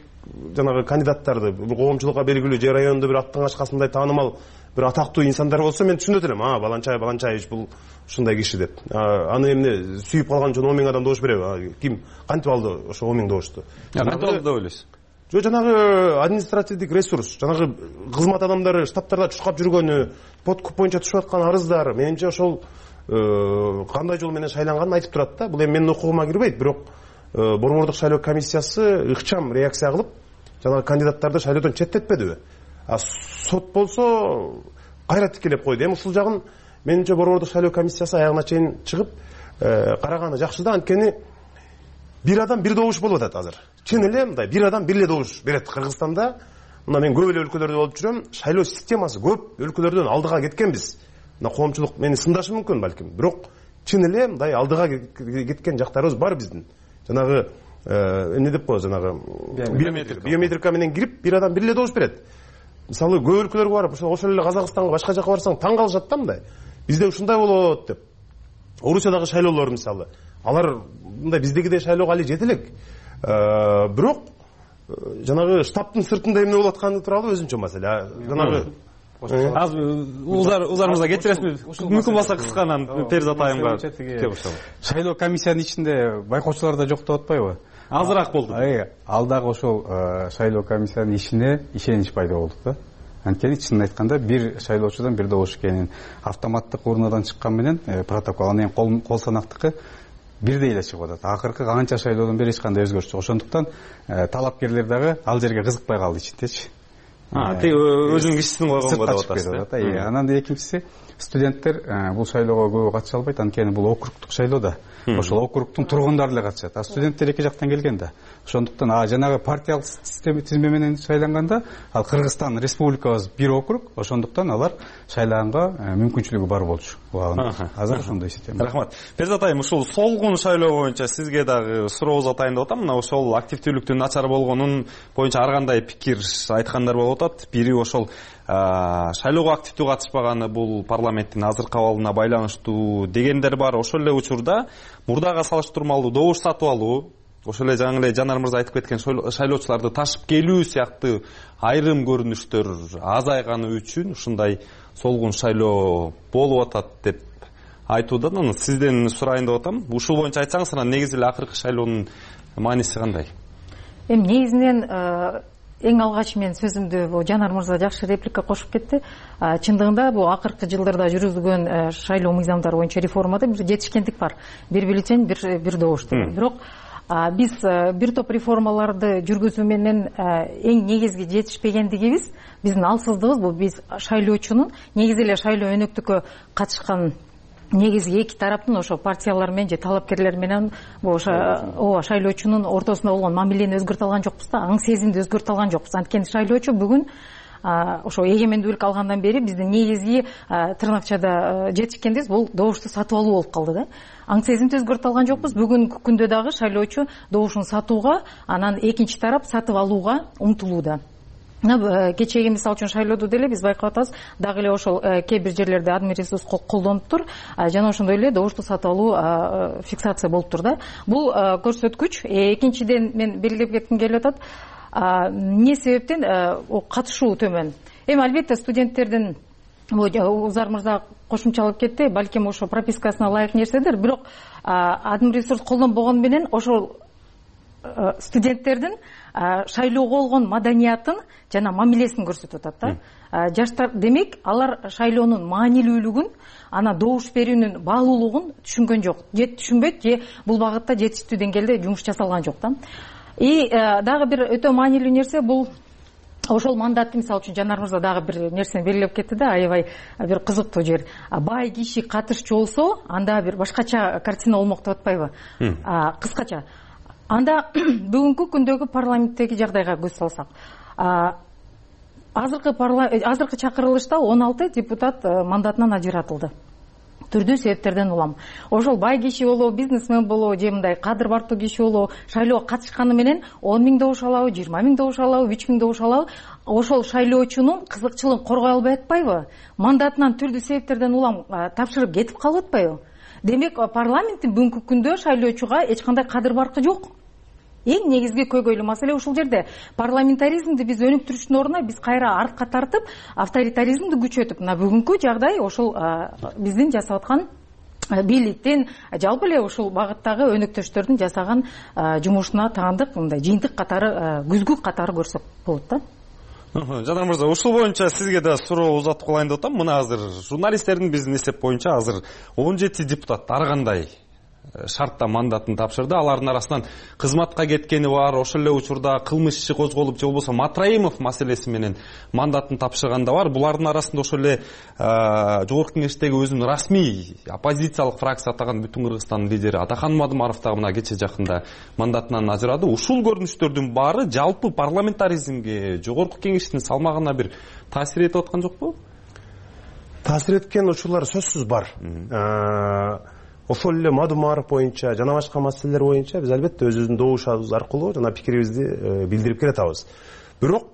жанагы кандидаттарды бул коомчулукка белгилүү же райондо бир аттан ачкасындай таанымал бир атактуу инсандар болсо, мен түшүнөт элем. А, Баланчай Баланчаевич бул ушундай киши деп. Аны эмне сүйүп калган үчүн он миң адам добуш береби? Ким кантип алды ошо он миң добушту? Кантип алды деп ойлойсуз? же жанагы административдик ресурс, жанагы кызмат адамдары штабтарда чуркап жүргөнү, подкуп боюнча түшүп аткан арыздар, менимче ошол кандай жол менен шайланганын айтып турат да. Бул эми менин укугума кирбейт, бирок борбордук шайлоо комиссиясы ыкчам реакция кылып, жанагы кандидаттарды шайлоодон четтетпедиби? А сот болсо кайра тикелеп койду. Эми ушул жагын менимче борбордук шайлоо комиссиясы аягына чейин чыгып караганы жакшы да, анткени бир адам бир добуш болуп атат азыр. Чын эле мындай бир адам бир эле добуш берет. Кыргызстанда мына мен көп эле өлкөлөрдө болуп жүрөм, шайлоо системасы көп өлкөлөрдөн алдыга кеткенбиз. Мына коомчулук мени сындашы мүмкүн балким, бирок чын эле мындай алдыга кеткен жактарыбыз бар биздин. Жанагы эмне деп коет, жанагы биометрика менен кирип бир адам бир эле добуш берет. Мисалы көп өлкөлөргө барып, ошол эле Казакстанга, башка жака барсаң таң калышат да мындай. Бизде ушундай болот деп. Орусиядагы шайлоолор мисалы, алар мындай биздегидей шайлоого али жете элек. Бирок жанагы штабтын сыртында эмне болуп атканы тууралуу өзүнчө маселе. Жанагы азыр узарыбызга кетиресизби? Мүмкүн болсо кысканан Перизат айымга кеп ошол. Шайлоо комиссиянын ичинде байкоочулар да жок деп атпайбы? Азыраак болду. Ал дагы ошол шайлоо комиссиянын ишине ишенич пайда болду да. Анткени чынын айтканда бир шайлоочудан бир добуш экенин автоматтык урнадан чыккан менен протокол, анан кол санактыкы бирдей эле чыгып атат. Акыркы канча шайлоодон бери эч кандай өзгөрүш жок. Ошондуктан талапкерлер дагы ал жерге кызыкпай калды ичиндечи. Тек өзүнүн кишисин койгонго деп атасыз. Анан экинчиси, студенттер бул шайлоого көп катыша албайт, анткени бул округтук шайлоо да. Ошол округтун тургундары эле катышат. А студенттер эки жактан келген да. Ошондуктан жанагы партиялык система тизме менен шайланганда, ал Кыргызстан республикабыз бир округ, ошондуктан алар шайлаганга мүмкүнчүлүгү бар болчу. Азыр ошондой система. Рахмат. Перизат айым, ушул солгун шайлоо боюнча сизге дагы сурообуз атайын деп атам. Мына ошол активдүүлүктүн начар болгонун боюнча ар кандай пикир айткандар болуп атат. Бири ошол шайлоого активдүү катышпаганы бул парламенттин азыркы абалына байланыштуу дегендер бар. Ошол эле учурда мурдага салыштырмалуу добуш сатып алуу, ошол эле жаңы эле Жанар мырза айтып кеткен шайлоочуларды ташып келүү сыяктуу айрым көрүнүштөр азайганы үчүн ушундай солгун шайлоо болуп атат деп айтууда. Сизден сурайын деп атам. Ушул боюнча айтсаңыз, анан негизи эле акыркы шайлоонун мааниси кандай? Эми негизинен эң алгач мен сөзүмдү Жанар мырза жакшы реплика кошуп кетти. Чындыгында бул акыркы жылдарда жүргүзүлгөн шайлоо мыйзамдары боюнча реформада бир жетишкендик бар. Бир бюллетень, бир бир добуш. Бирок биз бир топ реформаларды жүргүзүү менен эң негизги жетишпегендигибиз, биздин алсыздыгыбыз бул биз шайлоочунун негизи эле шайлоо өнөктүккө катышкан негизги эки тараптын ошо партиялар менен же талапкерлер менен ошо ооба шайлоочунун ортосунда болгон мамилени өзгөртө алган жокпуз да, аң сезимди өзгөртө алган жокпуз. Анткени шайлоочу бүгүн ошо эгемендүүлүк алгандан бери биздин негизги тырнакчада жетишкендибиз бул добушту сатып алуу болуп калды да. Аң сезимди өзгөртө алган жокпуз. Бүгүнкү күндө дагы шайлоочу добушун сатууга, анан экинчи тарап сатып алууга умтулууда. Кечеги мисалы үчүн шайлоодо деле биз байкап атабыз, дагы эле ошол кээ бир жерлерде админ ресурс колдонуптур, жана ошондой эле добушту сатып алуу фиксация болуптур да. Бул көрсөткүч. Экинчиден мен белгилеп кетким келип атат, эмне себептен катышуу төмөн. Эми албетте студенттердин Узар мырза кошумчалап кетти, балким ошо пропискасына ылайык нерседир, бирок админ ресурс колдонбогону менен ошол студенттердин шайлоого болгон маданиятын жана мамилесин көрсөтүп атат да. Жаштар, демек, алар шайлоонун маанилүүлүгүн, ана добуш берүүнүн баалуулугун түшүнгөн жок. Же түшүнбөйт, же бул багытта жетиштүү деңгээлде жумуш жасалган жок да. И дагы бир өтө маанилүү нерсе бул ошол мандатты, мисалы үчүн Жанар мырза дагы бир нерсени белгилеп кетти да, аябай бир кызыктуу жер. Бай киши катышчу болсо, анда бир башкача картина болмок деп атпайбы? Кыскача. Анда бүгүнкү күндөгү парламенттеги жагдайга көз салсак, азыркы азыркы чакырылышта он алты депутат мандатынан ажыратылды. Түрдүү себептерден улам. Ошол бай киши болобу, бизнесмен болобу, же мындай кадыр бартуу киши болобу, шайлоого катышканы менен он миң добуш алабы, жыйырма миң добуш алабы, үч миң добуш алабы, ошол шайлоочунун кызыкчылыгын коргой албай атпайбы? Мандатынан түрдүү себептерден улам тапшырып кетип калып атпайбы? Демек, парламенттин бүгүнкү күндө шайлоочуга эч кандай кадыр баркы жок. Эң негизги көйгөйлүү маселе ушул жерде. Парламентаризмди биз өнүктүрүштүн ордуна биз кайра артка тартып, авторитаризмди күчөтүп, мына бүгүнкү жагдай ошол биздин жасап аткан бийликтин жалпы эле ушул багыттагы өнөктөштөрдүн жасаган жумушуна таандык мындай жыйынтык катары, күзгү катары көрсөк болот да. Жанар мырза, ушул боюнча сизге да суроо узатып калайын деп атам. Мына азыр журналисттердин биздин эсеп боюнча азыр он жети депутат ар кандай шартта мандатын тапшырды. Алардын арасынан кызматка кеткени бар, ошол эле учурда кылмыш иши козголуп же болбосо Матраимов маселеси менен мандатын тапшырган да бар. Булардын арасында ошол эле жогорку кеңештеги өзүнүн расмий оппозициялык фракция атаган Бүтүн Кыргызстандын лидери Атахан Мадымаров дагы мына кече жакында мандатынан ажырады. Ушул көрүнүштөрдүн баары жалпы парламентаризмге, жогорку кеңештин салмагына бир таасир этип аткан жокпу? Таасир эткен учурлар сөзсүз бар. Ошол эле Мадымаров боюнча жана башка маселелер боюнча биз албетте өзүбүздүн добушубуз аркылуу жана пикирибизди билдирип келатабыз. Бирок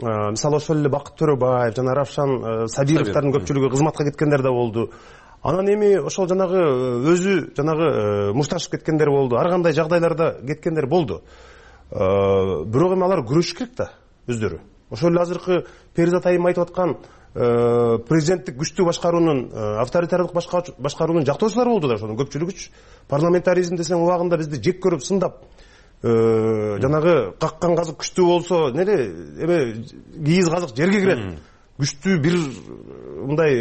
мисалы ошол эле Бакыт Төрөбаев жана Равшан Сабировдордун көпчүлүгү кызматка кеткендер да болду. Анан эми ошол жанагы өзү жанагы мушташып кеткендер болду. Ар кандай жагдайларда кеткендер болду. Бирок эми алар күрөшүш керек да өздөрү. Ошол эле азыркы Перизат айым айтып аткан президенттик күчтүү башкаруунун, авторитардык башкаруунун жактоочулары болду да, ошонун көпчүлүгүчү. Парламентаризм десең убагында бизди жек көрүп сындап, жанагы каккан казык күчтүү болсо, неде эме кийиз казык жерге кирет. Күчтүү бир мындай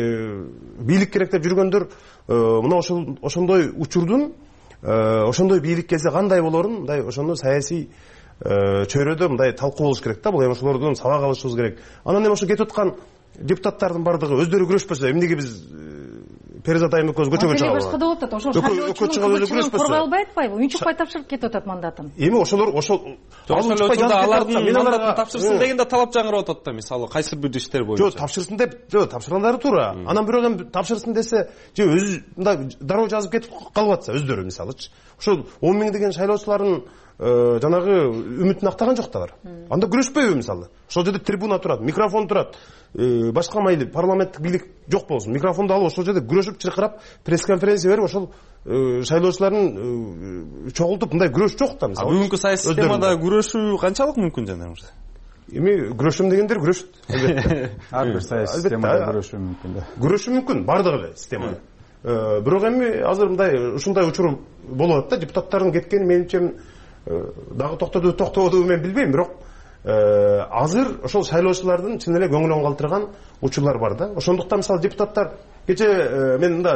бийлик керек деп жүргөндөр, мына ошол ошондой учурдун, ошондой бийлик келсе кандай болорун, мындай ошону саясий чөйрөдө мындай талкуу болуш керек да. Бул эми ошолордон сабак алышыбыз керек. Анан эми ошо кетип аткан депутаттардын бардыгы өздөрү күрөшпөсө, эмнеге биз Перизат айым экөөбүз көчөгө чыгабыз? Башка да болот, ошол шайлоочунун коргой албай атпайбы? Унчукпай тапшырып кетип атат мандатын. Эми ошолор ошол алардын мандатын тапшырсын деген да талап жаңырап атат да, мисалы кайсы бир иштер боюнча. Жок, тапшырсын деп, жок, тапшыргандары туура. Анан бирок эми тапшырсын десе, же өзү мындай дароо жазып кетип калып атса өздөрү мисалычы. Ошол он миң деген шайлоочулардын жанагы үмүтүн актаган жок да алар. Анда күрөшпөйбү мисалы? Ошол жерде трибуна турат, микрофон турат. Башка майли парламенттик бийлик жок болсун. Микрофонду алып ошол жерде күрөшүп чыркырап, пресс-конференция берип ошол шайлоочулардын чогултуп мындай күрөш жок да мисалы. Бүгүнкү саясий системада күрөшүү канчалык мүмкүн жанагы мырза? Эми күрөшөм дегендер күрөшөт. Албетте. Ар бир саясий системада күрөшүү мүмкүн да. Күрөшүү мүмкүн бардыгы эле системада. Бирок эми азыр мындай ушундай учур болуп атат да, депутаттардын кеткени менимче дагы токтоду токтободубу мен билбейм, бирок азыр ошол шайлоочулардын чын эле көңүлүн калтырган учурлар бар да. Ошондуктан мисалы депутаттар кече мен мында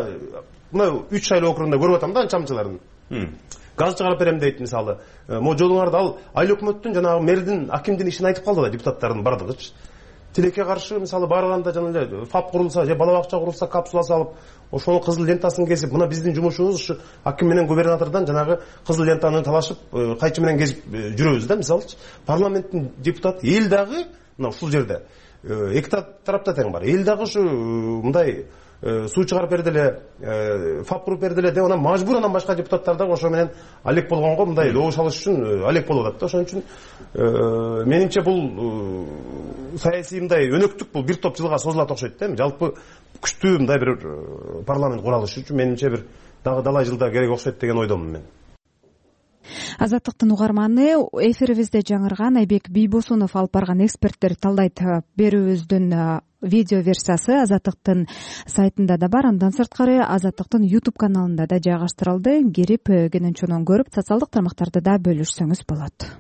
мына үч шайлоо округунда көрүп атам да анчамчыларын. Газ чыгарып берем дейт мисалы. Могу жолуңарды ал айыл өкмөттүн жанагы мэрдин, акимдин ишин айтып калды да депутаттардын бардыгычы. Тилекке каршы мисалы барганда жана эле ФАП курулса же бала бакча курулса, капсула салып, ошонун кызыл лентасын кесип, мына биздин жумушубуз ушу аким менен губернатордон жанагы кызыл лентаны талашып, кайчы менен кесип жүрөбүз да мисалычы. Парламенттин депутаты эл дагы мына ушул жерде эки тарапта тең бар. Эл дагы ушу мындай суу чыгарып берди эле, ФАП куруп берди эле деп анан мажбур анан башка депутаттар дагы ошо менен алек болгонго мындай добуш алыш үчүн алек болуп атат да. Ошон үчүн менимче бул саясий мындай өнөктүк бул бир топ жылга созулат окшойт да. Жалпы күчтүү мындай бир парламент куралышы үчүн менимче бир дагы далай жылдар керек окшойт деген ойдомун мен. Азаттыктын угарманы, эфирибизде жаңырган Айбек Бийбосунов алып барган эксперттер талдайт берүүбүздүн видео версиясы Азаттыктын сайтында да бар. Андан сырткары Азаттыктын YouTube каналында да жайгаштырылды. Кирип кенен чонон көрүп, социалдык тармактарда да бөлүшсөңүз болот.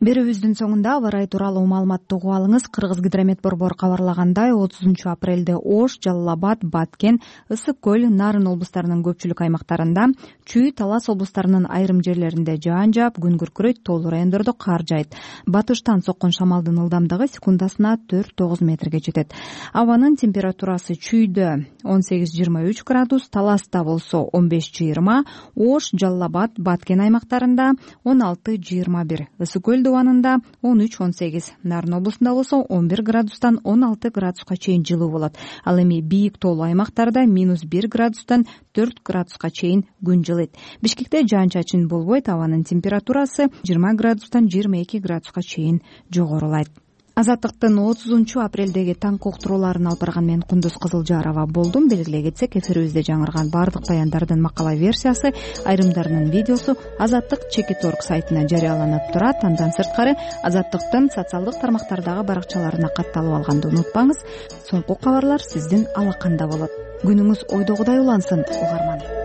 Берүүбүздүн соңунда аба ырайы тууралуу маалыматты угуп алыңыз. Кыргызгидромет борбору кабарлагандай, отузунчу апрелде Ош, Жалал Абад, Баткен, Ысык көл, Нарын облустарынын көпчүлүк аймактарында, Чүй, Талас облустарынын айрым жерлеринде жаан жаап, күн күркүрөйт, тоолуу райондордо кар жайт. Батыштан соккон шамалдын ылдамдыгы секундасына төрт тогуз метрге жетет. Абанын температурасы Чүйдө он сегиз жыйырма үч градус, Таласта болсо он беш жыйырма, Ош, Жалал Абад, Баткен аймактарында он алты жыйырма бир, Ысык көл убанында он үч он сегиз, Нарын облусунда болсо он бир градустан он алты градуска чейин жылуу болот. Ал эми бийик тоолуу аймактарда минус бир градустан төрт градуска чейин күн жылыйт. Бишкекте жаан-чачын болбойт, абанын температурасы жыйырма градустан жыйырма эки градуска чейин жогорулайт. Азаттыктын отузунчу апрелдеги таңкы уктурууларын алып барган мен Кундуз Кызылжарова болдум. Белгилей кетсек, эфирибизде жаңырган баардык баяндардын макала версиясы, айрымдарынын видеосу Азаттык чекит точка орг сайтына жарыяланып турат. Андан сырткары Азаттыктын социалдык тармактардагы баракчаларына катталып алганды унутпаңыз. Соңку кабарлар сиздин алаканда болот. Күнүңүз ойдогудай улансын, угарман.